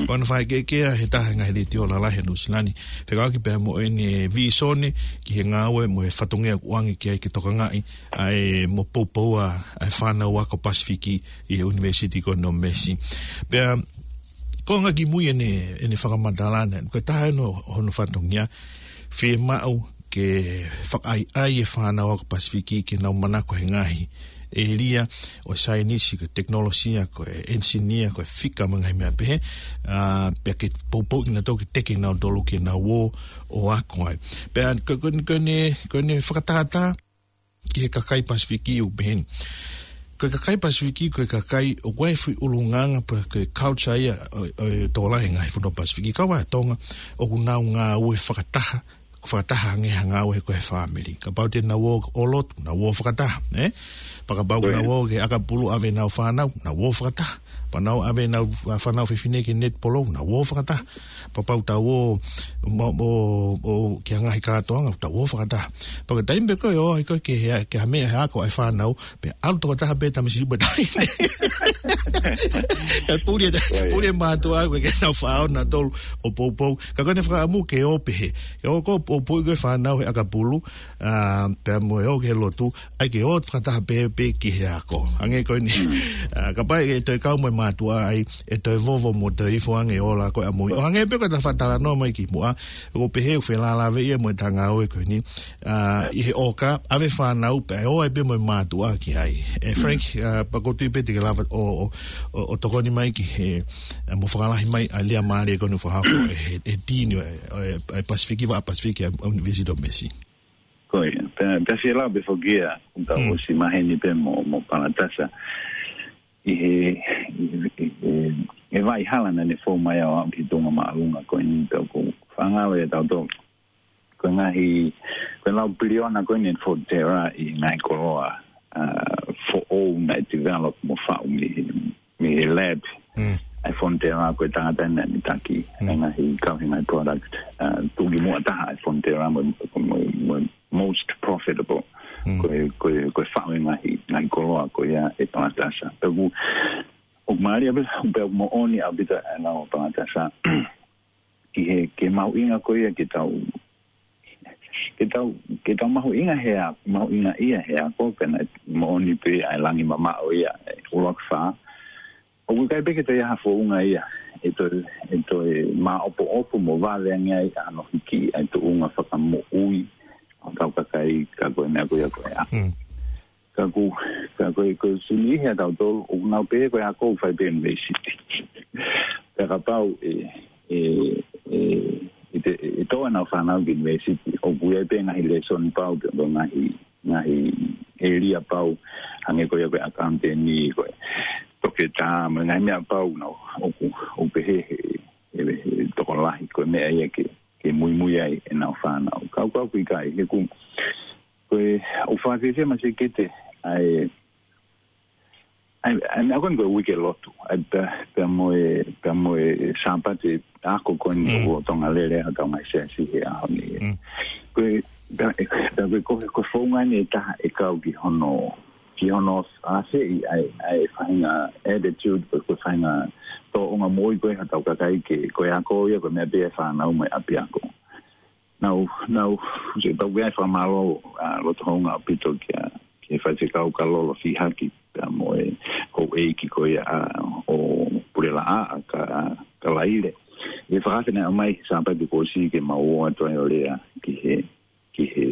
Ko hono fakaʻekeʻeke ia he taha e ngaahi letiō lalahi ʻa Nuʻusila ni. Fekauʻaki pea mo ʻene vīsone ki he ngāue mo e fatongia ʻoku ʻoange ki ai ke tokangaʻi ʻa e mo poupou ʻa e fānau ako Pasifiki ʻi he ʻUnivēsiti ko Mesi. Pea, ko e ngaahi kimui ʻene, ʻene fakamatala na, ko e taha hono, hono fatongia, fiemaʻu ke fakaʻaiʻai e fānau ako Pasifiki ke nau manako he ngaahi ʻēlia ʻo e saienisi, ko e tekinolosia, ko e enisinia, ko e fika mo e ngaahi meʻa pehē, ʻa, pea ke poupou kinautolu ke teke kinautolu ke nau ō ʻo ako ai. Pea ko, ko, ko ʻene, ko ʻene fakatātā ki he kakai Pasifiki ʻoku pehē ni. Ko e kakai Pasifiki, ko e kakai ʻoku ʻi ai e foʻi ʻulungaanga pe ko e culture ia ʻo, ʻo e tokolahi e ngaahi fonua Pasifiki, kau ai ʻa Tonga, ʻoku nau ngāue fakataha, fakataha ange ha ngāue ko e fāmili. Kapau te nau ō ʻo lotu, nau ō fakataha, ē? Pea kapau ke nau ō ki he ʻakapulu ʻave ʻenau fānau, nau ō fakataha. Pea nau ʻave ʻenau, ʻa, fānau fefine ki he netipolo, nau ō fakataha. Pea kapau tau ō, mo, mo, ō ki ha ngaahi kātoanga, tau ō fakataha. Pea ko e taimi pē ko ē ʻoku ʻi ai ko ē ke he, ke ha meʻa he ako ʻa e fānau, pea ʻalu tokotaha pē tamasiʻi mo e taʻahine. Pea puli e, puli e mātuʻa ko ē ke nau faʻao nautolu ʻo poupou. Ka ko ʻene fakaʻamu ke ō pehē. Ke ō ko ē ʻo poupou ko ē fānau he ʻakapulu, ʻa, pea mo e ō ki he lotu, ʻai ke ō fakataha pē, pē ki he ako. Hangē ko eni. ʻA, kapau ʻe toe kau mo e mātuʻa ai, ʻe toe vovo mo toe ifo ange e ola ko ē ʻamui. ʻO hangē pē ko ʻeta fakatalanoa mai ki muʻa, ʻoku pehē ʻoku felālāveʻi ia mo ʻeta ngāue ko eni. ʻA, ʻi he ʻoka, ʻave fānau pea ō ai pē mo e mātuʻa ki ai. ʻE Frank, ʻa, pea ʻoku ou tui pē te ke lava ʻo, ʻo, ʻo, ʻo tokoni mai ki he, ʻa, mo fakalahi mai ʻa e lea mālie ko eni ʻoku fakahoko ʻe he, he Dean ʻo e, ʻo e, ʻo e Pasifiki, vaʻa Pasifiki ʻa e ʻUnivēsiti ʻo Mesi. Ko ia. Pea, pea fie lau pē foki ia, ʻoku tau Mm. ʻosi maheni pē mo, mo Palatasa. ʻI he, ʻi he, ʻi he, ʻi he vaʻa hala naʻa ne fou mai ai ʻo aʻu ki he tuʻunga māʻolunga ko eni, pea ʻoku ou fakaangalo ʻiate kitautolu. Ko e ngaahi, ko e lau piliona ko eni ʻa e Fonterra ʻi he ngaahi koloa, ʻa, foʻou naʻe develop mo faʻu mei he, mei he lab. Mm. ʻA e Fonterra ko e tangata naʻa ne taki, Mm. ʻa e ngaahi kau he ngaahi product, ʻa, tuʻukimuʻa taha ʻa e Fonterra mo, mo, mo most profitable. Mm. Ko e, ko e, ko e faʻu e ngaahi, ngaahi koloa ko ia ʻe Palatasa. Pea ʻoku, ʻoku mālie pē, pea ʻoku moʻoni ʻaupito ʻa e lau ʻa Palatasa. Ki he, ki he mahuʻinga ko ia ke tau, ke tau, ke tau mahuʻinga he a-, mahuʻingaʻia he ako, pea naʻe moʻoni pē ʻa e langi mamaʻo ia ʻa e ʻUluaki Fā. ʻOku ʻikai pē ke toe ʻi ai ha founga ia ʻe toe, ʻe toe māʻopoʻopo mo vave ange ai ʻa hono hiki ʻa e tuʻunga fakamoʻui ʻo hotau kakai, ka ko e meʻa ko ia ko e ako. Mm. Ka ʻoku, ka ko e, ko e sini ʻi he ʻa tautolu, ʻoku nau pehē ko e ako ʻoku fai pē ʻunivēsiti. Pea kapau ʻe, ʻe, ʻe, ʻe te, ʻe tō ʻenau fānau ki ʻunivēsiti, ʻoku ʻi ai pē ngaahi lēsoni pau, pe ko e ngaahi, ngaahi ʻēlia pau, hangē ko ia ko e accountant, ko e toketā, mo e ngaahi meʻa pau nau, ʻoku, ʻoku pehē he, he, he tokolahi, ko e meʻa ia ke, ke muimui ai ʻenau fānau. Ka ʻoku, ka ʻoku ʻikai, he ʻoku, ko e, ʻoku fakafiefia masikete, ʻa e, ʻa e, ʻa e meʻa ko eni ko e uike lotu, ʻa e pea, pea mo e, pea mo e Sāpate ako ko eni Mm. ʻoku lolotonga lele ai hotau ngaahi siasi he ʻaho ni. Mm. Ko e, pea, pea ko e, ko e, ko e founga eni ʻe taha ʻe kau ki hono, ki hono ʻafeʻi ʻa e, ʻa e faʻahinga attitude, ko e, ko e faʻahinga tōʻonga moʻui ko ē hotau kakai ke, ko e ako ia, ko e meʻa pē ʻa e fānau mo e ʻapiako. Nau, nau, se tau ia e fakamālō, ʻa, loto houngaʻia ʻaupito kia, ki he faifekau Kalolo Fihaki, pea mo e houʻeiki ko ia, ʻa, ʻo Pulelaʻa, ʻa, ka, ka Laile. ʻI he fakaafe naʻe ʻomai he Sāpate kuo ʻosi ke mau ō atu ai ʻo lea ki he, ki he,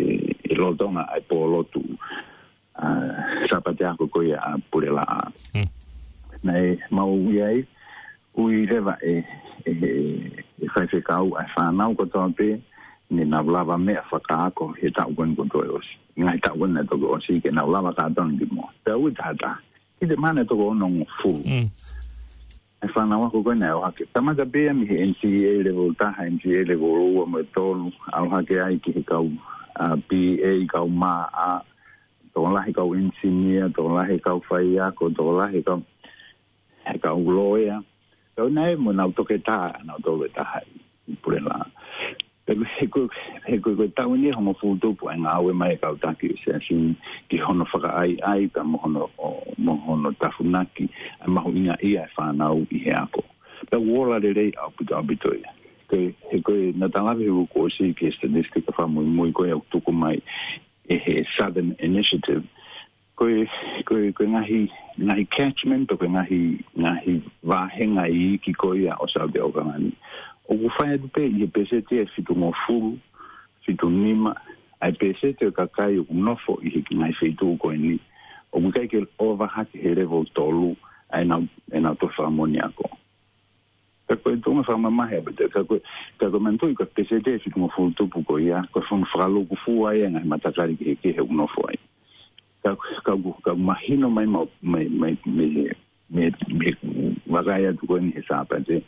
ʻi lolotonga ʻa e pō lotu, ʻa, Sāpate ako ko ia ʻa Pulelaʻa. Mm. Naʻe mau ʻi ai, ui leva ʻe, ʻe, ʻe, ʻe faifekau ʻa e fānau kotoa pē, ne nau lava meʻa fakaako he taʻu ko eni kuo toe ʻosi. Ngaahi taʻu ko eni naʻe toki ʻosi ke nau lava kātoa ni ki muʻa. Pea ui tahataha. Ki he mahalo naʻe toko onongofulu. Mm. ʻA e fānau ako ko eni naʻe ʻalu hake. Kamata pē ia mei he N C E A level taha, N C E A level ua mo e tolu. ʻAlu hake ai ki he kau, ʻa, B A, kau mā, ʻa, tokolahi kau engineer, tokolahi kau faiako, tokolahi kau, he kau lawyer. Kau naʻe mo nau toketā, nau tolu ʻe taha ʻi Pulelaʻa. He ko, he ko, he ko e taʻu eni ʻe hongofulu tupu ʻa e ngāue mai ʻa e kau taki ʻo e siasi ni ki hono fakaʻaiʻai pea mo hono, ʻo, mo hono tafunaki ʻa e mahuʻingaʻia ʻa e fānau ʻi he ako. Pea ʻoku ola lelei ʻaupito, ʻaupito ia. Ko e, he ko e naʻa ta lave he uike kuo ʻosi ki he statistic fakamuimui ko ē ʻoku tuku mai ʻe he Southern Initiative. Ko e, ko e, ko e ngaahi, ngaahi catchment, pe ko e ngaahi, ngaahi vāhenga iiki ko ia ʻo South Auckland ni. ʻOku fai atu pē ʻi he pēseti ʻe fitungofulu, fitunima, ʻa e pēseti ʻo e kakai ʻoku nofo ʻi he ngaahi feituʻu ko eni. ʻOku ʻikai ke ʻova hake he level tolu, ʻa ʻenau, ʻenau toe fakamoʻoni ako. Ka ko e tuʻunga fakamamahi ʻaupito, ka ko, ka ko e manatuʻi ko e pēseti ʻe fitungofulu tupu ko ia, ko e fono fakalūkufua ia ʻa e ngaahi matakali kehekehe ʻoku nofo ai. Ka, ka, ka mahino mai, mai, mai, mai, mai, mai, vakai atu ko eni he Sāpate.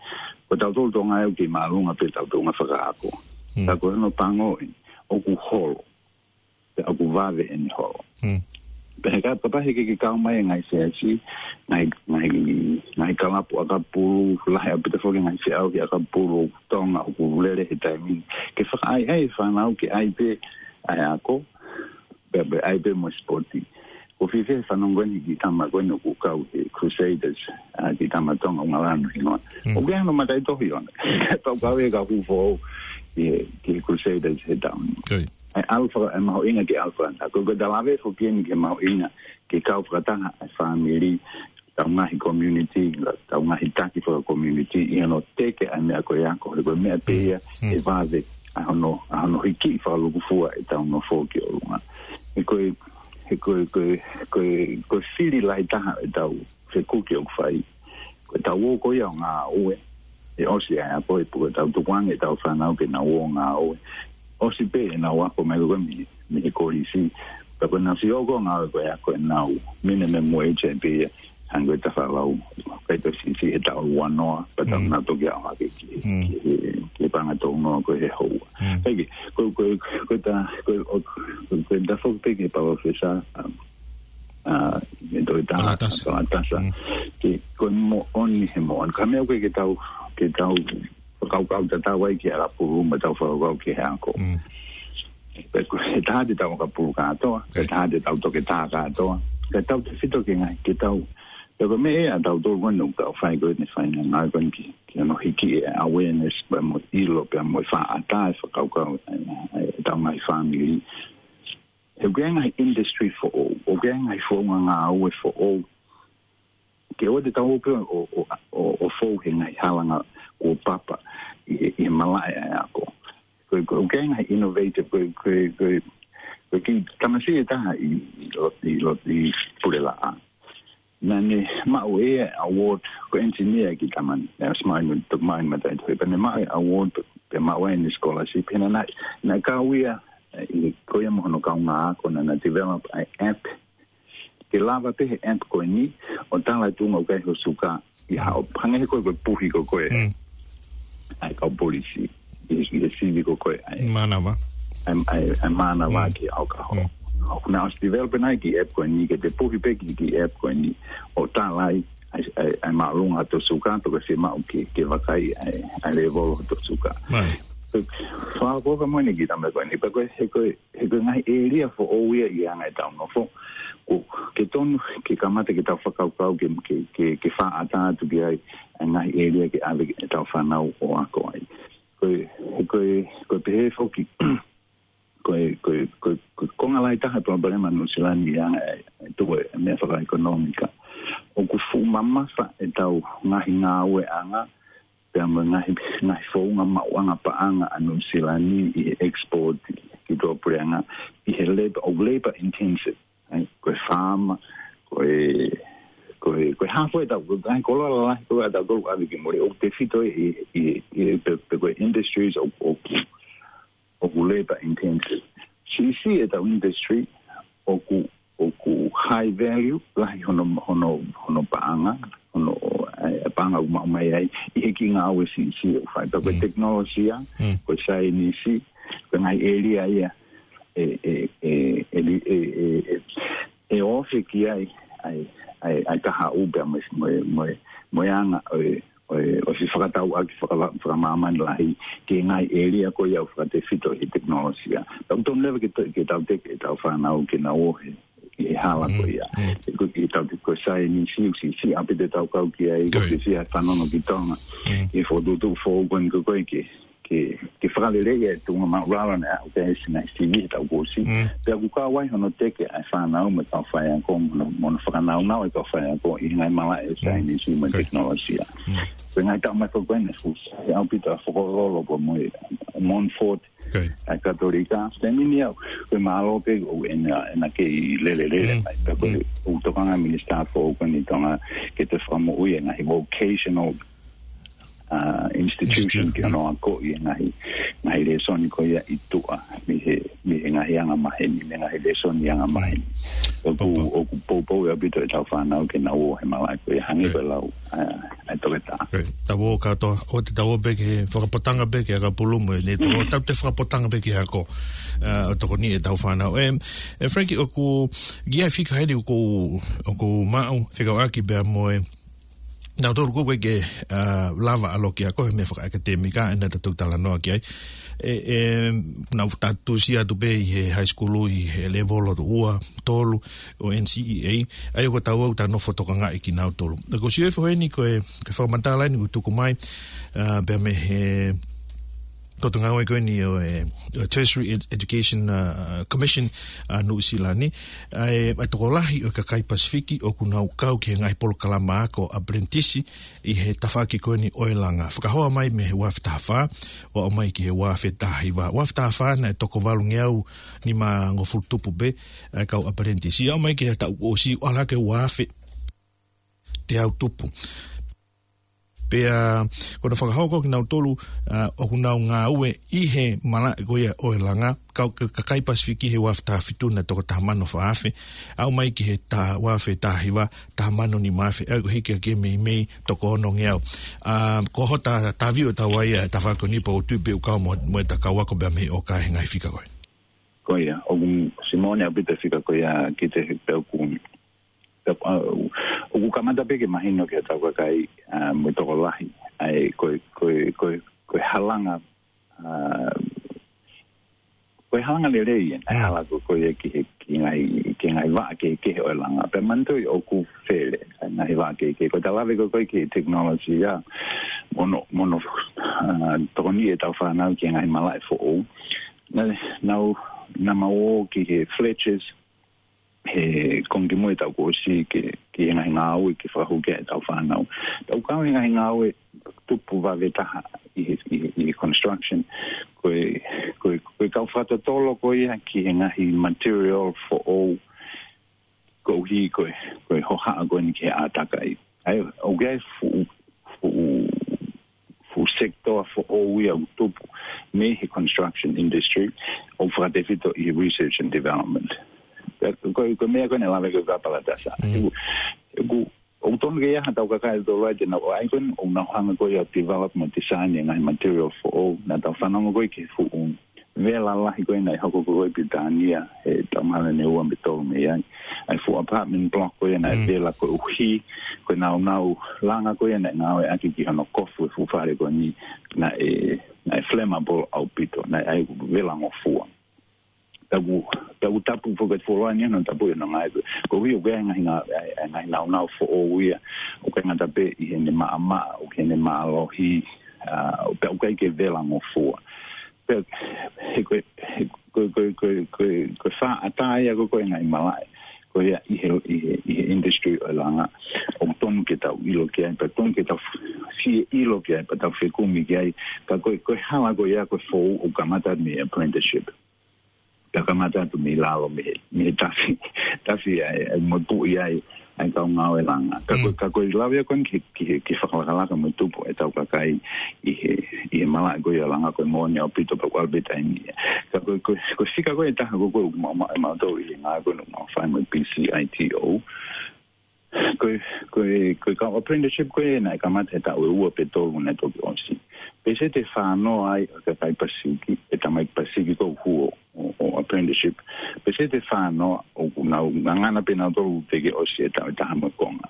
Ko tautolu Tonga ʻoku kei māʻolunga pē ʻetau tuʻunga fakaako. Hmm. Ka ko hono pango ē, ʻoku holo. Pea ʻoku vave ʻene holo. Hmm. Pea he ka, kapau he ʻikai ke kau mai e ngaahi siasi, ngaahi, ngaahi, ngaahi kalapu ʻakapulu, lahi ʻaupito foki e ngaahi feʻauhi ʻakapulu Tonga ʻoku lele he taimi ni. Ke fakaʻaiʻai e fānau ke ʻai pē ʻa e ako, pea, pea ʻai pē mo e sipoti. ʻOku ou fiefia he fanongo eni ki he tama ko eni ʻoku kau he Crusaders, ʻa, ki he tama Tonga ʻoku ngalanu hinoa. Hmm. ʻOku ʻi ai hano mataʻitohi ʻona. Pea ʻoku kau e kau Hūfou ki he, ki he Crusaders he taʻu ni. Oi. ʻA e ʻalu faka-, ʻa e mahuʻinga ke ʻalu fakataha. Ko, ko ʻeta lave foki eni ki he mahuʻinga ke kau fakataha ʻa e fāmili, ʻetau ngaahi community, ʻetau ngaahi taki faka-community, ʻi hono teke ʻa e meʻa ko e ako, he ko e meʻa pē ia Mm. ʻe vave ʻa hono, ʻa hono hiki fakalūkufua ʻetau nofo ki ʻolunga. He ko e, he ko e, ko e, ko e, ko e fili lahi taha ʻetau fekuki ʻoku fai. Ko ʻetau ō ko ia ʻo ngāue, ʻe ʻosi ʻa e ako, ʻe puke ʻetau tukuange ʻetau fānau ke nau ō ʻo ngāue. ʻosi pē ʻenau ako mai ko ē mei, mei he kolisi. Pea ko ʻenau siʻi ō ko ē ngāue ko ē ʻa ko ē ʻenau minimum wage ē pē ia, hangē ko e taha lau, ʻikai toe siʻisiʻi he taʻu ua noa, pea tau Mm. nau toki aʻu hake ki, Mm. ki, ki he paʻanga tolu noa ko ē he houa. Mm. Hei, ko, ko, ko e ta, ko, ko, ko e ta foki pē ki he palōfesa, um, ʻa, ʻe Toketā Palatasa. Palatasa. Mm. Ke, ko e moʻoni he moʻoni. Ka meʻa ko ē ke tau, ke tau fakakaukau tatau ai ki he ʻakapulu mo tau fakakaukau ki he ako. Mm. Pea ko e taha te tau ʻakapulu kātoa, pea Ok. taha te tau toketā kātoa. Ka tautefito ke ngaahi, ke tau. Pea ko e meʻa ʻa tautolu ko eni ʻoku tau fai ko eni fai ngāue ko eni ki, ki hono hiki e awareness, pea mo e ʻilo, pea mo e faʻa ʻatā e fakakaukau, ʻa, ʻa, ʻa e tau ngaahi fāmili. He ʻoku ʻi ai e ngaahi industry foʻou, ʻoku ʻi ai e ngaahi founga ngāue foʻou. Ke ʻoua te tau ō pē ʻo, ʻo, ʻo, ʻo fou he ngaahi halanga kuo papa ʻi he, ʻi he malaʻe ʻa e ako. Ko, ko, ʻoku ʻi ai e ngaahi innovative, ko, ko, ko, ko e kiʻi tamasiʻi ʻe taha ʻi, ʻi lo-, ʻi lo-, ʻi Pulelaʻā. Naʻa ne maʻu e award, ko e engineer e kiʻi tama ni, naʻe ʻosi maʻu ʻene, toki maʻu ʻene mataʻitohi, pea ne maʻu e award, pea maʻu ai ʻene scholarship, he naʻa, naʻa, naʻe kau ia, ʻe, ko ia mo hono kaungāako naʻa na develop ʻa e app, ke lava pē he app ko eni, ʻo tala e tuʻunga ʻoku ʻi ai ho suka, ʻi haʻo, hangē ko e, ko e puhi ko ē. Mm. ʻA e kau polisi, ʻi, ʻi he sivi ko ē, ʻa e Mānava. ʻa e, ʻa e, ʻa e mānava Mm. ki ʻaokaho. Mm. ʻOku na ʻosi develop ʻa e kiʻi app ko eni, ke te puhi pē ki he kiʻi app ko eni, ʻo tala ai, ʻa e, ʻa e, ʻa e māʻolunga hoto suka, pe ko e fiemaʻu ke, ke vakai ʻa e, ʻa e level hoto suka. Mālie. Ko e, fakaʻofoʻofa mo ʻene kiʻi tama ko eni, pea ko e, he ko e, he ko e ngaahi ʻēlia foʻou ia ʻi he anga ʻetau nofo. Ko, ke tonu, ke kamata ke tau fakakaukau, ke, ke, ke, ke faʻa ʻatā atu ki ai, ʻa e ngaahi ʻēlia ke ʻave ʻetau fānau ʻo ako ai. Ko e, he ko e, ko e pehē foki, ko e, ko e, ko e, ko e konga lahi taha e palopalema Nuʻusila ni ʻi he anga e, e tuʻu e meʻa fakaʻekonōmika. ʻOku fuʻu mamafa ʻetau ngaahi ngāueʻanga, pea mo e ngaahi, ngaahi founga maʻuʻanga paʻanga ʻa Nuʻusila ni ʻi he export ki tuʻapuleʻanga, ʻi he labor, ʻoku labor intensive, ʻa ia, ko e faama, ko e, ko e, ko e hafo ʻetau, ko e ngaahi koloa lalahi ko ē ʻa tautolu ʻave ki muli, ʻoku tefito ʻi, ʻi, ʻi, pe, pe ko e industries ʻoku, ʻoku, ʻoku labor intensive. Siʻisiʻi ʻetau industry, ʻoku, ʻoku high value, lahi hono, hono, hono paʻanga, hono, e, e paʻanga ʻoku maʻu mai ai, ʻi he kiʻi ngāue siʻisiʻi ʻoku fai. Pea ko e Mm. tekinolosia, Mm. ko e saienisi, ko e ngaahi ʻēlia ia, e, e, e, e, e, e, e, e ofi ki ai, ʻa e, ʻa e, ʻa e kahaʻu pea mo e, mo e, mo e, mo e anga, ʻo e, ʻo e, ʻosi fakatau ʻaki fakava-, fakamāmani lahi, ki he ngaahi ʻēlia ko ia ʻoku fakatefito he tekinolosia. Tau tonu leva ke to-, ke tau teke, ʻetau fānau ke nau ō he, he hala ko Mm, ia. mm. Ko e, ke tau te ko e saienisi, ʻoku siʻisiʻi ʻaupito ʻetau kau ki ai, Good. ʻoku siʻisiʻi ʻa e fanongo ki Tonga. Mm. ʻI he fokotuʻutuʻu foʻou ko eni ko ē ke, ke, ke fakaleleiʻi e tuʻunga māʻulalo naʻe aʻu ki ai e siʻi ngaahi sivi ʻetau kosi. Mm. Pea ʻoku kau ai hono teke ʻa e fānau mo e kau faiako mo hono, mo hono fakanaunau e kau faiako ʻi he ngaahi malaʻe ʻo e Mm. saienisi mo e Good. tekinolosia. Mm. Ko e ngaahi taʻu mai ko ē naʻe fuʻu sai ʻaupito ʻa Fokololo pea mo e Montfort, Okay. ʻa e Katolika, taimi ni au, ko e mālō pē ʻoku ʻena, ʻena kei lelelele Mm. mai, pea ko e Mm. ʻoku tokanga minisitā foʻou ko eni ʻi Tonga ke toe fakamoʻui e ngaahi vocational, uh, institution Institute. ke ʻoua naʻa akoʻi e ngaahi, ngaahi lēsoni ko ia ʻi tuʻa, mei he, mei he ngaahi anga maheni, mei he ngaahi lēsoni anga maheni. ʻOku, Papa. ʻOku poupou ʻaupito ʻetau fānau ke nau ō he malaʻe ko ia hangē Okay. ko e lau, uh, ʻa e Toketā. Okay. Tau ō kātoa, ʻoua te tau ō pē ki he fakapotanga pē ki he ʻakapulu mo e, ne tau ō, Mm. tau te fakapotanga pē ki he ako, ʻa, ʻo tokoniʻi ʻetau fānau. Em, e Frankie, ʻoku, ʻi ai e fika heni ʻoku, ʻoku maʻu, fekauʻaki pea mo e, naʻa tolu ko ē ke, ʻa, lava ʻa e loki ako he meʻa fakaʻekatēmika, ʻena ta tau talanoa ki ai. E, e, naʻa ta tuʻusi atu pē ʻi he high school, ʻi he level hoto ua, tolu, ʻo N C E A, ʻa ia ko ʻetau ō ʻo tau nofo tokangaʻi kinautolu. Ko e sio e foʻi heni ko e, ko e fakamatala eni ʻoku tuku mai, ʻa, pea mei he potungāue ko eni ʻo e, ʻo e Tertiary Ed-, Education, ʻa, Commission ʻa Nuʻusila ni, ʻa e, ʻa e tokolahi ʻo e kakai Pasifiki ʻoku nau kau ki he ngaahi polokalama ako apprentice ʻi he tafaʻaki ko eni ʻo e langa. Fakahoa mai mei he ua afe taha fā, ʻo aʻu mai ki he ua afe taha hiva. Ua afe taha fā naʻe toko valungeau nimangofulu tupu pē, ʻa e kau apprentice. ʻO aʻu mai ki he taʻu kuo ʻosi, ʻalu hake ua afe teau tupu. Pea ko hono fakahoko kinautolu, ʻa, ʻoku nau ngāue ʻi he malaʻe ko ia ʻo e langa, kau, ka-, kakai Pasifiki he ua afe taha fitu naʻe toko taha mano fā afe, aʻu mai ki he taha, ua afe taha hiva, taha mano nima afe, ʻa ia ko e hiki hake mei mei toko onongeau. ʻA, ko hota taviʻo tau ai ʻa e tafaʻaki ko eni pea ʻoku ou tui pē ʻoku kau mo, mo ʻeta kau ako pea mei ʻoka he ngaahi fika ko ē. Ko ia, ʻoku siʻi moʻoni ʻaupito e fika ko ia ki he pea ʻoku, pea, ʻa, ʻoku kamata pē ke mahino ki he tau kakai, ʻa, mo e tokolahi. ʻA e, ko e, ko e, ko e, ko e halanga, ʻa, ko e halanga lelei ʻena, Mm. hala ko, ko ia ki he, ki he ngaahi, ki he ngaahi vaʻa kehekehe ʻo e langa. Pea manatuʻi ʻoku fele, ʻa e ngaahi vaʻa kehekehe. Ko ʻeta lave ko ē ki he technology ʻa, mo hono, mo hono, ʻa, tokoniʻi ʻetau fānau ki he ngaahi malaʻe foʻou. Naʻa, naʻa, naʻa mau ō ki he Fletcher's, he konga kimui ʻetau kuo ʻosi ki, ki he ngaahi ngāue ke fakahū ki ai ʻetau fānau. Tau kau he ngaahi ngāue tupu vave taha ʻi he, ʻi he, ʻi he construction. Ko e, ko e, ko e kau fakatotolo ko ia ki he ngaahi material foʻou koeʻuhi ko e, ko e hohaʻa ko eni ki he ʻātakai. ʻA ia, ʻoku ʻi ai e fuʻu, fuʻu, fuʻu sector foʻou ia ʻoku tupu mei he construction industry ʻoku fakatefito ʻi he research and development. Ko e, ko e meʻa ko eni naʻe lave ki ai ʻa Palatasa. Mm. ʻOku, ʻoku, ʻoku totonu ke ʻi ai ha tau kakai ʻe tolu ai te nau ō ai ko eni ʻo nau hanga ko ia ʻo develop mo design e ngaahi material foʻou. Naʻa tau fanongo ko ē ki he fuʻu vela lahi ko ē naʻe hoko ko ē ʻi Pilitānia he taʻu mahalo ʻe ua pe tolu mei ai. ʻA e fuʻu apartment block ko ē naʻe Mm. vela koeʻuhi ko e nāunau langa ko ē naʻe ngāueʻaki ki hono kofu e fuʻu fale ko eni naʻe, naʻe flammable ʻaupito, naʻe ʻai vela ngofua. Taku, taku tapu foki e fuoloa ni hono tapu ʻi hono ngāue. Koeʻuhi ʻoku ʻi ai e ngaahi ngā-, ʻa e, ʻa e ngaahi nāunau foʻou ia, ʻoku ʻikai ngata pē ʻi heʻene maʻamaʻa, ʻoku ʻi heʻene mālohi, ʻa, pea ʻoku ʻikai ke vela ngofua. Pea, he ko e, he ko e, ko e, ko e, ko e, ko e fakaʻatā ia ko ē ʻo e ngaahi malaʻe ko ia ʻi he, ʻi he, ʻi he industry ʻo e langa. ʻOku totonu ke tau ʻilo ki ai, pea totonu ke tau fie ʻilo ki ai, pea tau fekumi ki ai. Ka ko e, ko e hala ko ia ko e foʻou ʻoku kamata mei he apprenticeship. Pea kamata atu mei lalo mei he, mei he tafi, tafi ai, ai mo puʻi ai, ai kau ngāue langa. Ka ko, Mm. ka ko e lave ko eni ki he, ki he, ki he fakalakalaka mo e tupu ʻetau kakai ʻi he, ʻi he malaʻe ko ia langa ko e moʻoni ʻaupito pea ʻoku ʻalu pē taimi ia. Ka ko, ko, ko e fika ko ē ʻe taha ko ē ʻoku mau, mau, mau tau ʻi he ngāue ko ē ʻoku mau fai mo e P C I T O. Ko e, ko e, ko e kau apprenticeship ko ē naʻe kamata he taʻu ʻe ua pe tolu naʻe toki ʻosi. Peseti ʻe fā noa ai ʻa e kakai Pasifiki, e tamaiki Pasifiki ʻoku hū ʻo, ʻo, ʻo apprenticeship. Peseti ʻe fā noa ʻoku nau ngangana pē nautolu teʻeki ʻosi e taʻu ʻe taha mo e konga.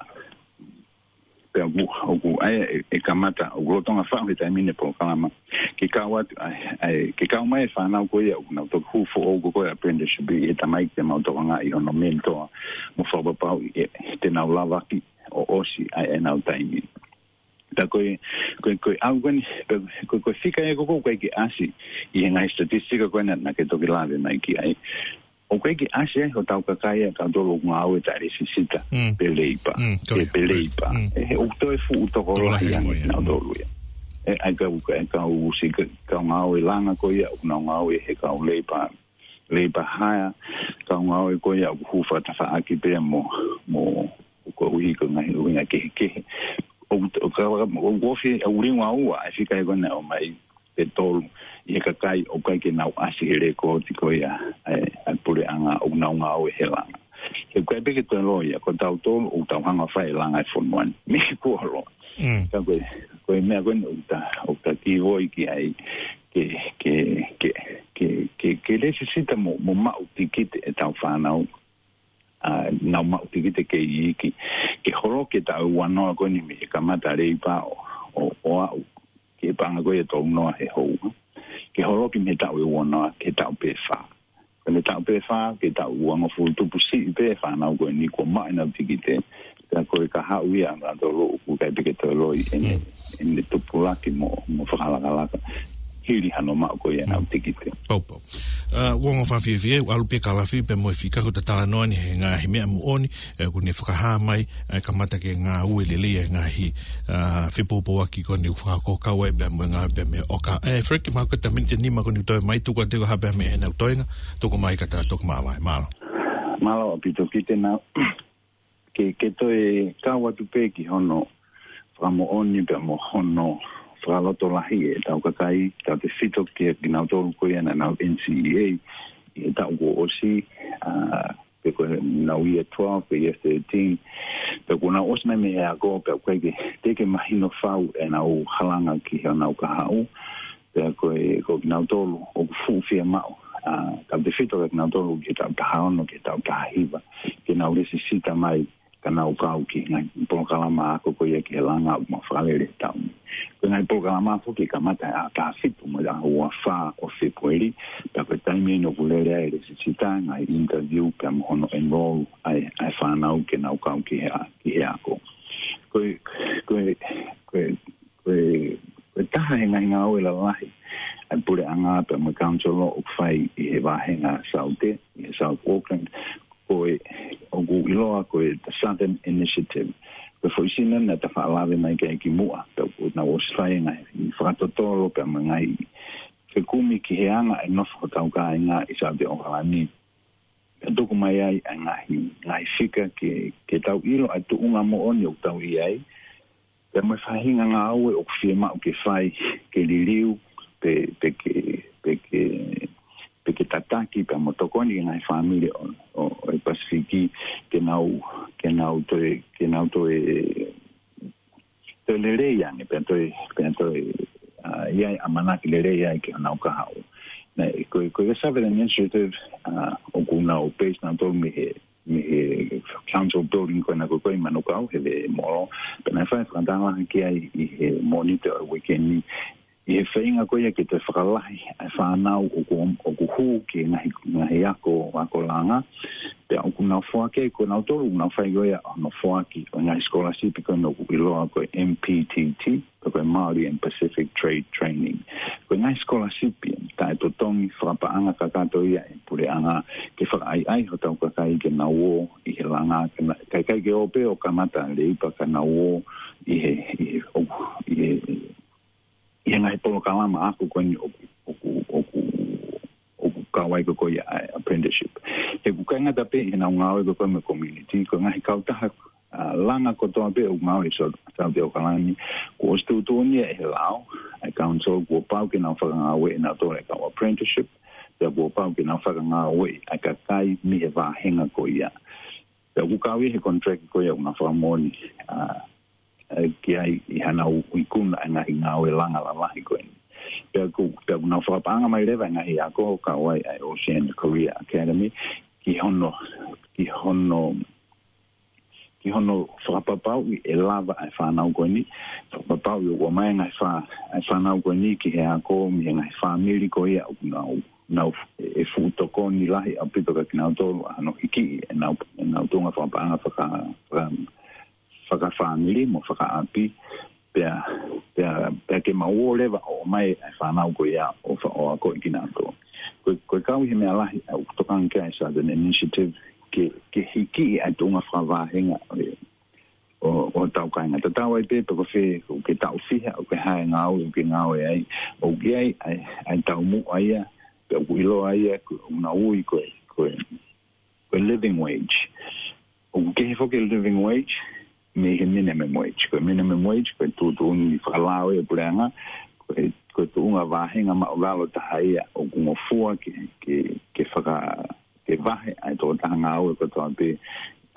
Pea ʻoku, ʻoku ʻi ai e, e kamata, ʻoku lolotonga faʻu he taimi ni e polokalama. Ke kau atu, ʻa e, ʻa e, ke kau mai e fānau ko ia, ʻoku nau toki hū foʻou ko ē apprenticeship ʻi he tamaiki te mau tokangaʻi hono mentor, mo fakapapauʻi ʻe, te nau lavaki ʻo ʻosi ʻa e, ʻenau taimi. Pea ko e, ko e, ko e ʻalu ko eni, pea ko e, ko e fika ia ko ē ʻoku ʻikai ke ʻasi ʻi he ngaahi statistika ko ena naʻa ke toki lave mai ki ai. ʻOku ʻikai ke ʻasi ai hotau kakai ʻa tautolu ʻoku ngāue taʻe lesisita Mm. pe leipa. Mm, ko Pe, ia, pe ko ia. leipa. Mm. ʻE, he ʻoku toe fuʻu tokolahi Tokolahi ange mo ia. nautolu ia. ʻE, ʻa e kau, ʻa e kau siʻi ka-, kau ngāue langa ko ia, ʻoku nau ngāue he kau leipa, leipa hire, kau ngāue ko ia ʻoku hū fakatafaʻaki pē mo, mo, koeʻuhi ko e ngaahi ʻuhinga kehekehe. ʻOku, ʻoku, ʻoku ofi, ʻoku liunga ua ʻa e fika ko ena ʻomai ʻe tolu ʻi he kakai ʻoku ʻikai ke nau ʻasi he lēkooti ko ia ʻa e, ʻa e puleʻanga ʻoku nau ngāue he langa. He ʻoku ʻikai pē ke toe loi ia, ko tautolu ʻoku tau hanga ʻo fai e langa ʻo e fonua ni. Mei kuo loa. Mm. Ka ko e, ko e meʻa ko eni ʻoku ta, ʻoku ta kivoi ki ai ke, ke, ke, ke, ke, ke lesisita mo, mo maʻu tikite ʻetau fānau. ʻA, nau maʻu tikite kei iiki. Ke holoki e taʻu ʻe ua noa ko eni mei he kamata leipa ʻo, ʻo, ʻo aʻu ki he paʻanga ko ia ʻe tolu noa he houa. Ke holoki mei he taʻu ʻe ua noa ki he taʻu pē fā. Ko eni taʻu pē fā, ki he taʻu uangofulu tupu siʻi pē fānau ko eni kuo maʻu ʻenau tikite. Ka ko e kahaʻu ia ʻa nautolu ʻoku ʻikai pē ke toe loi ʻene, Mm. ʻene tupulaki mo, mo fakalakalaka. Hili hano maʻu ko ia ʻenau Mm. tikite. Pau, pau. ʻA, uongo fakafiefia, ʻalu pē Kalafi pea mo e fika ko ʻeta talanoa ni he ngaahi meʻa moʻoni, ʻe, ʻoku ne fakahā mai, ʻe, kamata ke ngāue lelei e ngaahi, ʻa, fepoupouaki ko eni ʻoku fakakau ai pea mo e ngāue pea mei ʻoka. ʻE, Frank, mahalo ko e miniti ʻe nima ko eni ʻoku toe mai, tuku atu ʻe koe ha meʻa mei heʻenau toenga, tuku mai ka ta toki māvae, mālō. Mālō ʻaupito ki te nau. Ke, ke toe kau atu pē ki hono fakamoʻoni pea mo hono fakalotolahi ʻetau kakai, tautefito kia kinautolu ko ia naʻa nau N C E A ʻi he taʻu kuo ʻosi, ʻa, pe ko ʻenau year twelve, pe year thirteen, pea kuo nau ʻosi mai mei he ako, pea ʻoku ʻikai ke, teʻeki ke mahino fau ʻenau halanga ki heʻenau kahaʻu, pea ko e, ko kinautolu ʻoku fuʻu fiemaʻu, ʻa, tautefito kia kinautolu ki he taʻu taha ono ki he taʻu taha hiva, ke nau lēsisita mai ka nau kau ki he ngaahi polokalama ako ko ia ki he langa ʻoku mau fakalele he taʻu ni. Ko e ngaahi polokalama foki ʻe kamata he ʻaho taha fitu mo e ʻaho ua fā ʻo Fēpueli, pea ko e taimi eni ʻoku lele ai e lēsisita, ngaahi interview, pea mo hono enroll ʻa e, ʻa e fānau ke nau kau ki he a-, ki he ako. Ko e, ko e, ko e, ko e, ko e taha he ngaahi ngāue lalahi ʻa e puleʻanga pea mo e council ʻoku fai ʻi he vāhenga Saute, ʻi he South Auckland, ko e, ʻoku ʻiloa ko e the Southern Initiative. Ko e foʻi sino naʻa ta faʻa lave mai ki ai kimuʻa, pea ʻoku nau ʻosi fai e ngaahi fakatotolo pea mo e ngaahi fekumi ki he anga e nofo hotau kāinga ʻi Saute ʻAokalani. Pea tuku mai ai ʻa e ngaahi, ngaahi fika ke, ke tau ʻilo ʻa e tuʻunga moʻoni ʻoku tau ʻi ai, pea mo e faʻahinga ngāue ʻoku fiemaʻu ke fai, ke liliu, pe, pe ke, pe ke, pe ke tataki, pea mo tokoni ki he ngaahi fāmili ʻo, ʻo, ʻo e Pasifiki, ke nau, ke nau toe, ke nau toe, toe lelei ange, pea toe, pea toe, ʻa, ʻi ai ʻamanaki lelei ai ki honau kahaʻu. Naʻe, ko, ko e Southern Initiative, ʻa, ʻoku nau base nautolu mei he, mei he council building ko ena ko ē ʻi Manukau, he veʻe Molo. Pea naʻe fai e fakatanga ki ai ʻi he Mōnite ʻo e uike ni, ʻi he feinga ko ia ke toe fakalahi ʻa e fānau ʻoku, ʻoku hū ki he ngaahi, ngaahi ako, ako langa. Pea ʻoku nau foaki ai, ko nautolu ʻoku nau fai ko ia hono foaki ʻo e ngaahi scholarship ko ena ʻoku ʻiloa ko e M P T T, ko e Māori and Pacific Trade Training. Ko e ngaahi scholarship ia, taʻetotongi fakapaʻanga kakato ia ʻa e puleʻanga ke fakaʻaiʻai hotau kakai ke nau ō ʻi he langa, ke na-, kae ʻikai ke ō pē ʻo kamata leipa ka nau ō ʻi he, ʻi he, ʻo, ʻi he, ʻi he ngaahi polokalama ako ko eni ʻoku, ʻoku, ʻoku, ʻoku kau ai ko ē ʻa e apprenticeship. He ʻoku ʻikai ngata pē ʻi heʻenau ngāue ko ē mo e community, ko e ngaahi kautaha, ʻa, langa kotoa pē ʻoku ngāue ʻi Sau-, Saute ʻAokalani, kuo ʻosi tuʻutuʻuni ia ʻe he lao ʻa e council kuo pau ke nau fakangāueʻi ʻenautolu e kau apprenticeship, pea kuo pau ke nau fakangāueʻi ʻa e kakai mei he vāhenga ko ia. Pea ʻoku kau ia he contract ko ia ʻoku nau fakamoʻoni, ʻa, ʻa, ki ai ʻi haʻanau ikuna ʻa e ngaahi ngāue langa lalahi ko eni. Pea ʻoku, pea ʻoku nau fakapaʻanga mai leva e ngaahi ako kau ai ʻa e Oceania Career Academy ki hono, ki hono, ki hono fakapapauʻi ʻe lava ʻa e fānau ko eni, fakapapauʻi ʻoku ʻomai e ngaahi fā-, ʻa e fānau ko eni ki he ako mei he ngaahi fāmili ko ia ʻoku nau, nau ʻe fuʻu tokoni lahi ʻaupito kia kinautolu ʻa hono hikiʻi ʻenau, ʻenau tuʻunga fakapaʻanga faka-, faka-, fakafāmili mo fakaʻapi, pea, pea, pea ke mau ō leva ʻo ʻomai e fānau ko ia ʻo fa-, ʻo akoʻi kinautolu. Ko e, ko e kau ʻi he meʻa lahi ʻoku tokanga ki ai e Southern Initiative ke, ke hikiʻi ʻa e tuʻunga fakavāhenga ʻo e, ʻo, ʻo hotau kāinga. Tatau ai pē pe ko fē, ʻoku ke taʻu fiha, ʻoku ke hā e ngāue ʻoku ke ngāue ai, ʻoku ʻi ai ʻa e, ʻa e taumuʻa ia, pea ʻoku ʻiloa ia, ko, ʻoku nau ui ko e, ko e, ko e living wage. ʻOku kehe foki e living wage mei he minimum wage. Ko e minimum wage, ko e tuʻutuʻuni fakalao ia ʻa e puleʻanga, ko e, ko e tuʻunga vāhenga maʻulalo taha ia ʻoku ngofua ke, ke, ke faka-, ke vahe ʻa e tokotaha ngāue kotoa pē,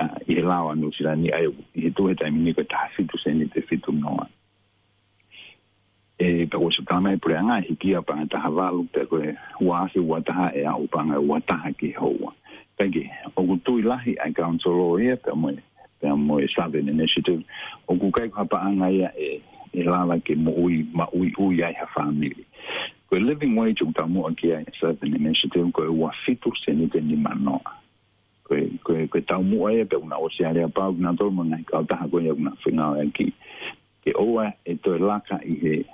ʻa, ʻi he lao ʻa Nuʻusila ni, ʻa ia ʻoku, ʻi he tuʻu he taimi ni ko e taha fitu seniti fitu noa. ʻE, pea kuo ʻosi tala mai ʻe he puleʻanga ʻe hiki ia paʻanga ʻe taha valu, pea ko e ua afe ua taha ʻe aʻu paʻanga ʻe ua taha ki he houa. Kae kehe, ʻoku tui lahi ʻa e council ia, pea mo e, pea mo e Southern Initiative, ʻoku ʻikai ko ha paʻanga ia ʻe, ʻe lava ke moʻui, maʻuiʻui ai ha fāmili. Ko e living wage ʻoku taumuʻa ki ai e Southern Initiative, ko e ua fitu seniti nima noa. Ko e, ko e, ko e taumuʻa ia pea ʻoku nau ʻosi aleapau kinautolu mo e ngaahi kautaha ko ia ʻoku nau fengāueʻaki ke ʻoua ʻe toe laka ʻi he,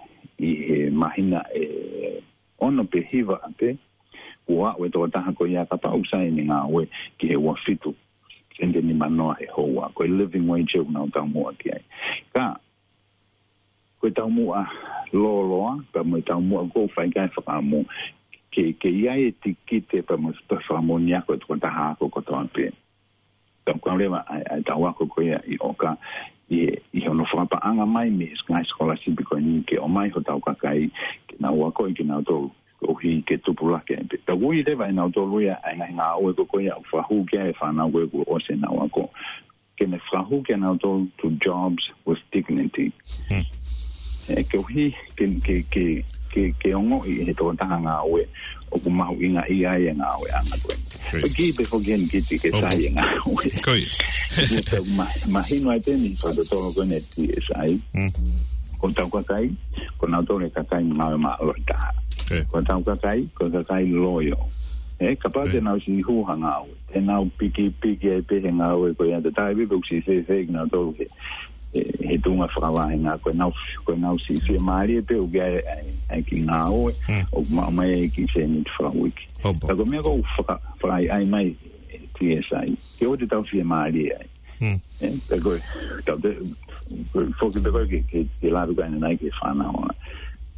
ʻi he māhina ʻe ono pe hiva pē, kuo aʻu e tokotaha ko ia kapau ʻoku sai ʻene ngāue ki he ua fitu seniti nima noa he houa. Ko e living wage ʻoku nau taumuʻa ki ai. Ka, ko e taumuʻa lōloa, pea mo e taumuʻa ʻoku ou fai ki ai e fakaʻamu, ke, ke ʻi ai e tikite pea mo e fakamoʻoni ako ʻa e tokotaha ako kotoa pē. Pea ʻoku kau leva ʻa e, ʻa e tau ako ko ia ʻi ʻOka, ʻi, ʻi hono fakapaʻanga mai mei he ngaahi sikolasipi ko eni ke ʻomai hotau kakai ke nau ako ʻi kinautolu. Koeʻuhi ke tupulaki ai pē. Ka ʻoku ʻi leva ʻe nautolu ia ʻa e ngaahi ngāue ko, ko ia ʻoku fakahū ki ai e fānau ko ē kuo ʻosi ʻenau ako. Ke ne fakahū kia nautolu to jobs with dignity. Ē, koeʻuhi ke, ke, ke, ke, ke ongoʻi he tokotaha ngāue ʻoku mahuʻinga ʻia ai e ngāueʻanga ko ē. Ko e kiʻi pē foki eni kiʻi ke sai e ngāue. Ko ia. Ko e ma-, mahino ai pē ni fakatotolo ko eni T S I. Ko hotau kakai, ko nautolu e kakai ngāue māʻolunga taha. Ko hotau kakai, ko e kakai loyal. Ē, kapau te nau siʻi hū ha ngāue, te nau pikipiki ai pē he ngāue ko ia, te tai pē ʻoku siʻi fēfē kinautolu he, he, he tuʻunga fakavahenga, ko ʻenau, ko ʻenau siʻi fiemālie pē ʻoku ʻi ai, ai, ai kiʻi ngāue, ʻoku maʻu mai ai kiʻi sēniti fakauike. Ka ko e meʻa ʻoku faka-, fakaʻaiʻai mai ʻe T S I, ke ʻoua te tau fiemālie ai. Ē, pea ko e, tau te, ko e foki pē ko e ke, ke, ke lave ko ē ʻanenai ki he fānau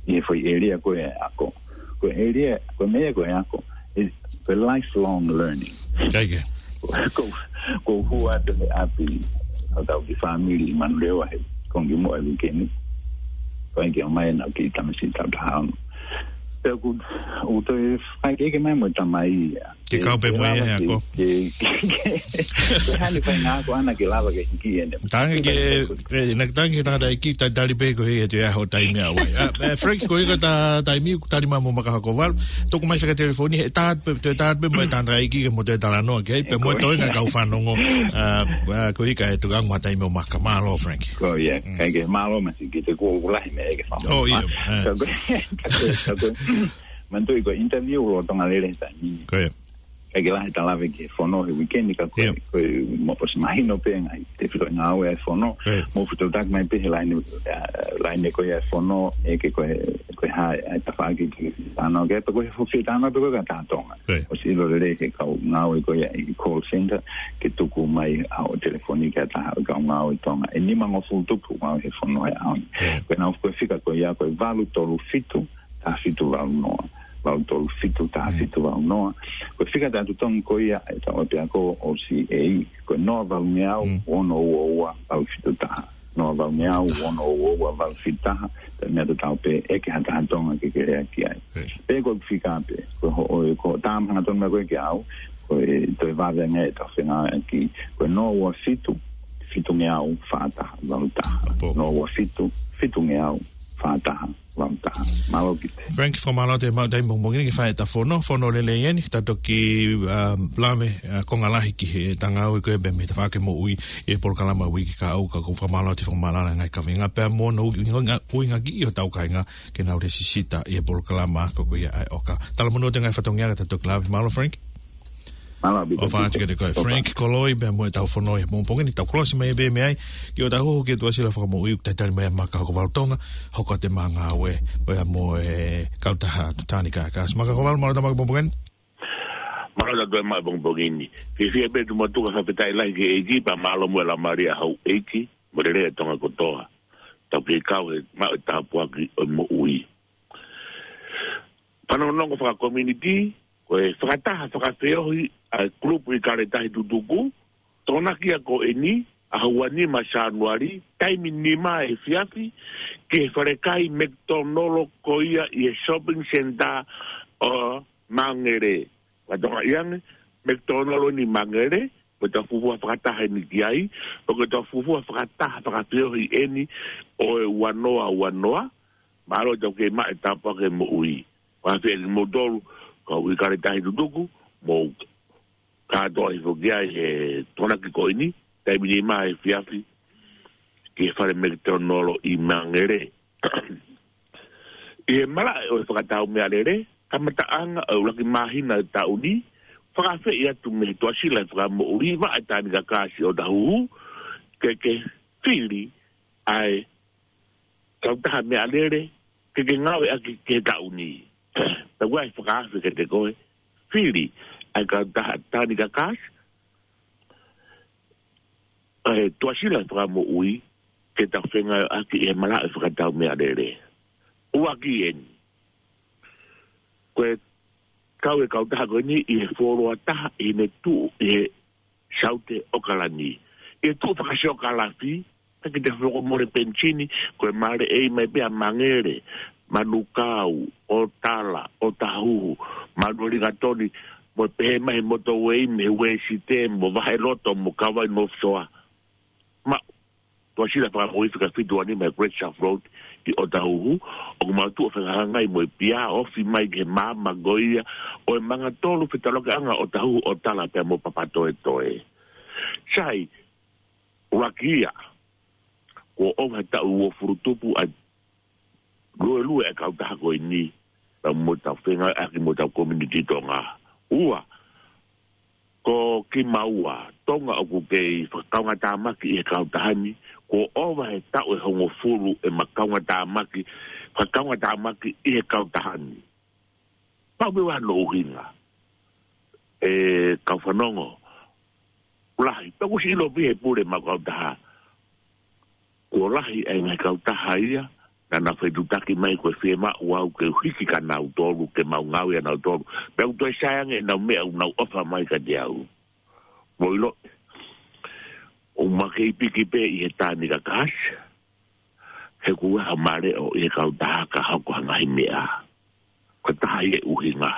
ʻi he foʻi ʻēlia ko ē ako. Ko e ʻēlia, ko e meʻa ko e ako, ʻe, ko e lifelong learning. Ko, ko, ko e hū atu he ʻapi, ʻo tau ki fāmili ʻi Manurewa he kongi mo e uike ni. Ko e ke ʻomai ʻenau kiʻi tamasiʻi taʻu taha ono. Pea ʻoku, ʻoku toe fai ke, ke mai mo e tamai ia. Ke kau pē mo ia he ako. Ke, ke, ke, ke hane fai ngā ako ʻana ke lava ke hiki ʻene. Tangi ke, e, na tangi ke tangataʻeiki, ta-, tali pē ko e ʻi he ʻaho taimi ʻa wai. ʻA, e, Frank, ko e ko ta taimi, tali mai mo Maka Hokovalu. Tuku mai fika telefoni, he taha pē, toe taha pē mo e tangataʻeiki ke mo toe talanoa ki ai, pea mo e toenga kau fanongo. ʻA, ʻa, ko e ka e tuku ange mo ha taimi ʻo Maka. Mālō, Frank. Ko ia, kai ke mālō masi, ki te kuo ʻoku lahi meʻa ke famo. ʻIo, ē. Ka ko e, ka ko e, ka ko e, Manatuʻi ko e interview ʻoku lolotonga lele he taimi ni. Ko ia. Ka ke lahi ta lave ki he fono he uike ni ka ko e, ko e mo-, ʻosi mahino pē ngaahi tefitoʻi ngāue ʻa e fono. Mo fito tak mai pē he laine, ʻa, laine ko ia ʻa e fono, ʻe ke ko e, ko e hā, ʻa e tafaʻaki ke tano, ke pē ko e fofi tano pē ko e ka taha Tonga. ʻOsi ʻilo lelei he kau ngāue ko ia ʻi call center, ke tuku mai ʻa hoʻo telefoni ki ha taha ʻo e kau ngāue Tonga. ʻE nimangofulu tupu ngāue he fono he ʻaho ni. Ko ʻenau ko e fika ko ia ko e valu tolu fitu, taha fitu valu noa. Valu tolu fitu, taha fitu valu noa. Ko e fika taʻetotongi ko ia ʻetau ʻapiako ʻo C A, ko e noa valungeau, ono ua ua, valu fitu taha. Noa valungeau, ono ua ua, valu fitu taha. Pea meʻa tatau pē ʻe ke ha taha Tonga ke ke lea ki ai. Pea ko e fika pē, ko hoʻo, ko e tama hangatonu mai ko e ke au, ko e toe vave ange ʻetau fengāueʻaki, ko e noa ua fitu, fitungeau, fā taha, valu taha. Noa ua fitu, fitungeau, fā taha, valu taha. Mālō Kite. Frank, fakamālō atu e maʻu taimi pongipongi ni ke fai ʻeta fono, fono lelei eni, ta toki, ʻa, lave, ʻa, konga lahi ki he ngāue ko ē pea mei he tafaʻaki moʻui ʻi he polokalama uike kahaʻu, ka ko e fakamālō atu e fakamālō ʻa e ngaahi kaveinga pea mo hono ui-, ui-, ui-, uinga ki ʻi hotau kāinga ke nau lēsisita ʻi he polokalama ko ia ʻa e ʻOka. Talamonū atu e ngaahi fatongia ka ta toki lave, mālō Frank. Mālō ʻaupito. ʻOfa atu kiate koe, Frank Koloi, pea mo ʻetau fono he pongipongi ni, tau kolosi mai pē mei ai, ki hotau hū ki he tuʻasila fakamoʻui, ʻoku talitali mai ʻa Maka Hokovalu Tonga, hoko atu e ngāue, ʻo ia mo e kautaha Tanganyika Gas. Maka Hokovalu, mālō e maʻu e pongipongi ni. Mālō ʻaupito e maʻu e pongipongi ni. Fiefia pē tuʻu matuʻa, fakafetaʻi lahi ki he ʻEiki, pea mālō mo e laumālie ʻa houʻeiki, mo e lelei ʻa Tonga kotoa. Tau kei kau he maʻu e tāpuaki ʻo e moʻui. Fanongonongo fakakominiti, ko e fakataha fakafeohi ʻa e kulupu ʻIkale Tahi Tutuku, Tokonaki ia ko eni, ʻaho ua nima Sānuali, taimi nima efiafi, ki he falekai McDonald ko ia ʻi he shopping center ʻo Mangere. Fakatokangaʻi ange, McDonald ʻi Mangere, ko ʻetau fuofua fakataha eni ki ai, ʻo ko ʻetau fuofua fakataha fakafeohi eni ʻo e ua noa ua noa, mālō ʻetau kei maʻu e tāpuaki moʻui. Fakafetaʻi kimoutolu, kau ʻIkale Tahi Tutuku, mo kātoa hifo ki ai he Tokonaki ko eni, taimi nima efiafi, ki he fale McDonald ʻi Mangere. ʻI he malaʻe ʻo e fakatau meʻalele, kamataʻanga ʻo e ʻuluaki māhina ʻo e taʻu ni, fakaafeʻi atu mei he tuʻasila ʻo e fakamoʻui, Vaʻa Tanganyika Gas ʻo Otahuhu, ke, ke fili ʻa e kautaha meʻalele, ke ke ngāueʻaki ki he taʻu ni. Tau ai fakaafe kiate koe, fili ʻa e kautaha Tanganyika Gas, ʻa e tuʻasila ʻo e fakamoʻui, ke tau fengāueʻaki ʻi he malaʻe ʻo e fakatau meʻalele. ʻUluaki eni. Ko e kau e kautaha ko eni ʻi he fuoloa taha ʻi heʻene tuʻu ʻi he Saute ʻAokalani. ʻI he tuʻu fakasiokālafi, Ka ke te fokomole penisini, ko e maleʻei mai pē ʻa Mangere, Manukau, ʻo Tala, ʻo Tahuhu, Manuʻa Lingatoni, mo e pehē mai he motorway, mei he Uēsite, mo Vaheloto, mo Kavai North Shore. Ma, Tuʻasila Fakamoʻui fika fitu ua nima he Great South Road ʻi ʻOtahuhu, ʻoku mau tuʻu ʻo fakahangai mo e pia, ofi mai ki he maama ko ia ʻo e Mangatolu, fetaulaki ʻa ʻOtahuhu, ʻo Tala pea mo Papatoetoe. Sai, ʻuluaki ia, kuo ʻova he taʻu uofulu tupu ʻa e luelue e kautaha ko eni, pea mo ʻetau fengāueʻaki mo ʻetau community Tonga. Ua, ko kimaua, Tonga ʻoku kei fakakaungātāmaki ʻi he kautaha ni, kuo ʻova he taʻu ʻe hongofulu ʻema kaungātāmaki, fakakaungātāmaki ʻi he kautaha ni. Pau pē ʻa hono ʻuhinga, ʻe kau fanongo, lahi, pea kuo ʻosi ʻilo pē ʻe he pule ʻema kautaha, kuo lahi ʻa e ngaahi kautaha ia naʻa nau fetuʻutaki mai ko e fiemaʻu au ke u hiki kia nautolu, ke mau ngāue ʻia nautolu. Pea ʻoku toe sai ange ʻenau meʻa ʻoku nau ʻofa mai kiate au. Mou ʻilo, ʻoku ma kei piki pē ʻi he taimi kakasi, he ʻoku ʻi ai haʻama leʻo ʻi he kautaha ka hoko ha ngaahi meʻa. Ko e taha ia e ʻuhinga.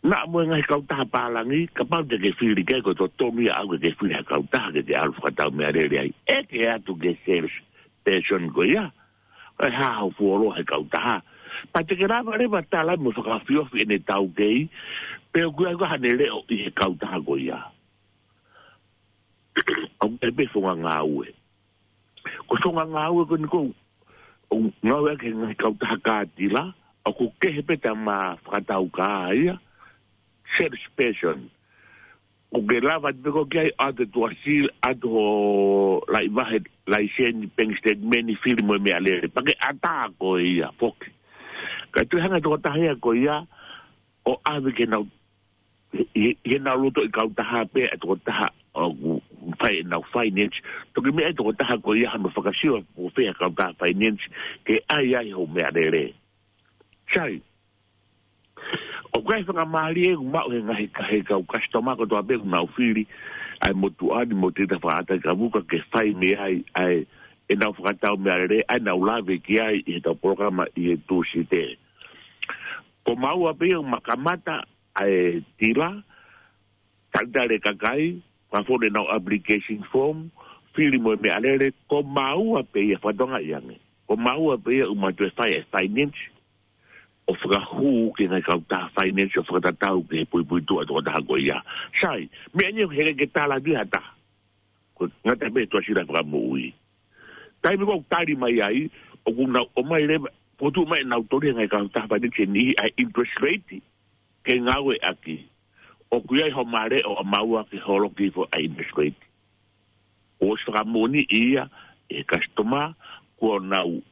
Naʻa mo e ngaahi kautaha pālangi, kapau te ke fili ki ai, ko e totonu ia ʻaʻau ke ke fili ha kautaha ke ke ʻalu fakatau meʻalele ai. ʻEke atu ki he sales person ko ia, ʻe hā hoʻo fuoloa he kautaha. Pea te ke lava leva ʻo tala mo fakafiofio ʻene taukei, pe ʻoku ʻi ai haʻane leʻo ʻi he kautaha ko ia. ʻOku ʻi ai pē founga ngāue. Ko e founga ngāue ko eni ʻoku ou ngāueʻaki he ngaahi kautaha kātila, ʻoku kehe pē ʻetau fakatau kā ia, sales person. ʻOku ke lava pē koe ki ai ʻo ʻoatu e tuʻasila, ʻoatu hoʻo laʻivahe, laiseni, bank statement, fili mo e meʻalele. Pea ke ʻatā koe ia foki. Ka ʻoku toe hanga ʻe he tokotaha ia ko ia ʻo ʻave ke nau ʻi, ʻi heʻenau loto ʻi he kautaha pē ʻa e tokotaha ʻoku fai ʻenau finance. Toki meʻa ʻe he tokotaha ko ia hano fakasio ʻoku fē ʻa e kautaha finance ke ʻai ai hoʻo meʻalele. Sai, ʻoku ʻi ai e faingamālie ʻoku maʻu ʻe he ngaahi, ʻe he kau customer kotoa pē ʻoku nau fili ʻa e motuʻa ni mo e Tonga Fakaʻatakavuka ke fai mei ai ʻa e, ʻenau fakatau meʻalele, ʻa ia naʻa nau lave ki ai ʻi heʻetau polokalama ʻi he Tūsite. Ko maua pē ia ʻoku ma kamata ʻa e tila, talitali e kakai, fakafonu ʻenau application form, fili mo e meʻalele, ko maua pē ia, fakatokangaʻi ange. Ko maua pē ia ʻoku ma toe fai e finance, ʻo fakahū ki he ngaahi kautaha finance, ʻo fakatatau ki he puipuituʻa ʻa e tokotaha ko ia. Sai, meʻa ni ʻoku ʻikai ke tala atu ʻe ha taha. Ko e ngata pē Tuʻasila Fakamoʻui. Taimi ʻoku tali mai ai, ʻoku nau ʻomai leva, ʻoku tuʻu mai ʻenau toli he ngaahi kautaha finance ni ʻa e interest rate ke ngāueʻaki. ʻOku ʻi ai haʻama leʻo ʻa maua ke holoki hifo ʻa e interest rate. ʻOsi fakamoʻoniʻi ia ʻe he customer kuo nau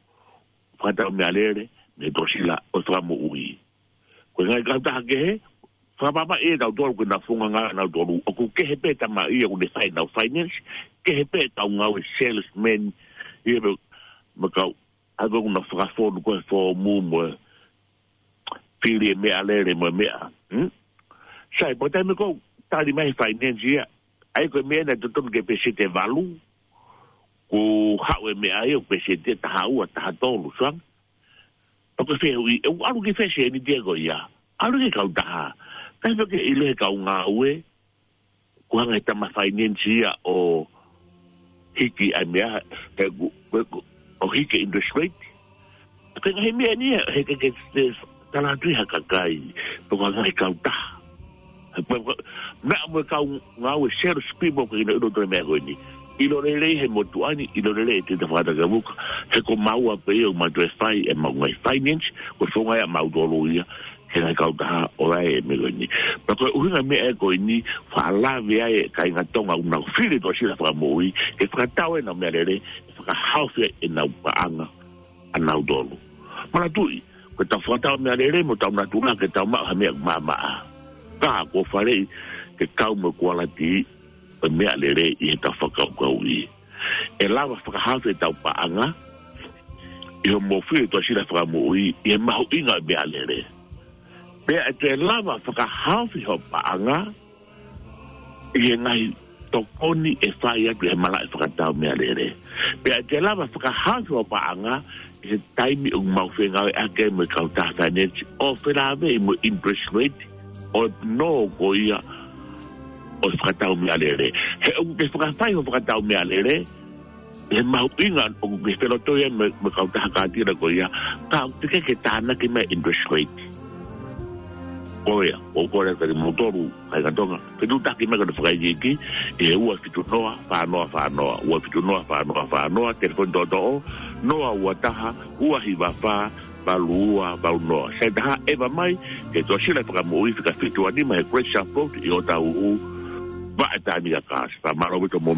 fakatau meʻalele mei he Tuʻasila ʻo Fakamoʻui. Ko e ngaahi kautaha kehe, fakapapauʻi ʻe tautolu ko e ngaahi founga ngāue ʻa nautolu. ʻOku kehe pē tamaiki ʻoku ne fai ʻenau finance, kehe pē ʻetau ngāue salesman, ʻi he meʻa, meʻa kau, ʻa ia ʻoku nau fakafonu ko e foomu mo e fili e meʻalele mo e meʻa. Hmm? Sai, pea taimi ʻoku tali mai he finance ia, ʻa ia ko e meʻa naʻe totonu ke peseti ʻe valu, kuo haʻu e meʻa ia ʻo peseti ʻe taha ua, taha tolu, sai. Pea ko e fehuʻi, ʻe ʻalu ki fē seniti ia ko ia? ʻAlu ki he kautaha. Kae fai ke ʻilo ʻe he kau ngāue, kuo hanga ʻe he tama finance ia ʻo hiki ʻa e meʻa, ʻe ku, ʻe ku, ʻo hiki interest rate. Ko e ngaahi meʻa ni ia, he ke, ke, ke tala atu ʻe ha kakai, pe ko e ngaahi kautaha. He ko e, ko e, meʻa mo e kau ngāue sales people ko ina ʻilo ʻa e meʻa ko eni. ʻIlo lelei ʻe he motuʻa ni, ʻilo lelei ʻe he Tonga Fakaʻatakavuka, he ko maua pē ia ʻoku ma toe fai ʻemau ngaahi finance, ko e founga ia ʻa mautolu ia, he ngaahi kautaha ʻo e meʻa ko eni. Pea ko e ʻuhinga meʻa ko eni, faʻa lave ai e kāinga Tonga ʻoku nau fili Tuʻasila Fakamoʻui, ke fakatau ʻenau meʻalele, ʻe fakahaofi ai ʻenau paʻanga ʻanautolu. Manatuʻi, ko ʻetau fakatau meʻalele mo ʻetau natula ke tau maʻu ha meʻa maʻamaʻa. Ka kuo faleʻi ke kau mo e kualiti ʻo e meʻalele ʻi heʻetau fakakaukauʻi. ʻE lava fakahaofi ʻetau paʻanga, ʻi hoʻomo fili Tuʻasila Fakamoʻui, ʻi he mahuʻinga ʻo e meʻalele. Pea ʻe toe lava fakahaofi hoʻo paʻanga, ʻi he ngaahi tokoni ʻe fai atu ʻe he malaʻe fakatau meʻalele. Pea te lava fakahaofi hoʻo paʻanga ʻi he taimi ʻoku mau fengāueʻaki ai mo e kautaha finance ʻo felāveʻi mo e interest rate ʻo e nō ko ia ʻo e fakatau meʻalele. He ʻoku ke fakafai hoʻo fakatau meʻalele, he mahuʻinga ʻoku ke felotoi ai mo e, mo e kautaha kātila ko ia, ka ʻoku teʻeki ke tānaki mai interest rate. Ko ia, ʻoku ou kole atu kiate kimoutolu kāinga Tonga, fetuʻutaki mai ki hono fakaikiiki ʻi he ua fitu noa fā noa fā noa, ua fitu noa fā noa fā noa, telefoni toʻotoʻo, noa ua taha, ua hiva fā, valu ua valu noa. Sai taha, ʻeva mai ki he Tuʻasila Fakamoʻui, fika fitu ua nima he Grace Sharp Road ʻi ʻŌtāhuhu, vaʻe taimi ka kasi. Fakamālō ʻaupito mo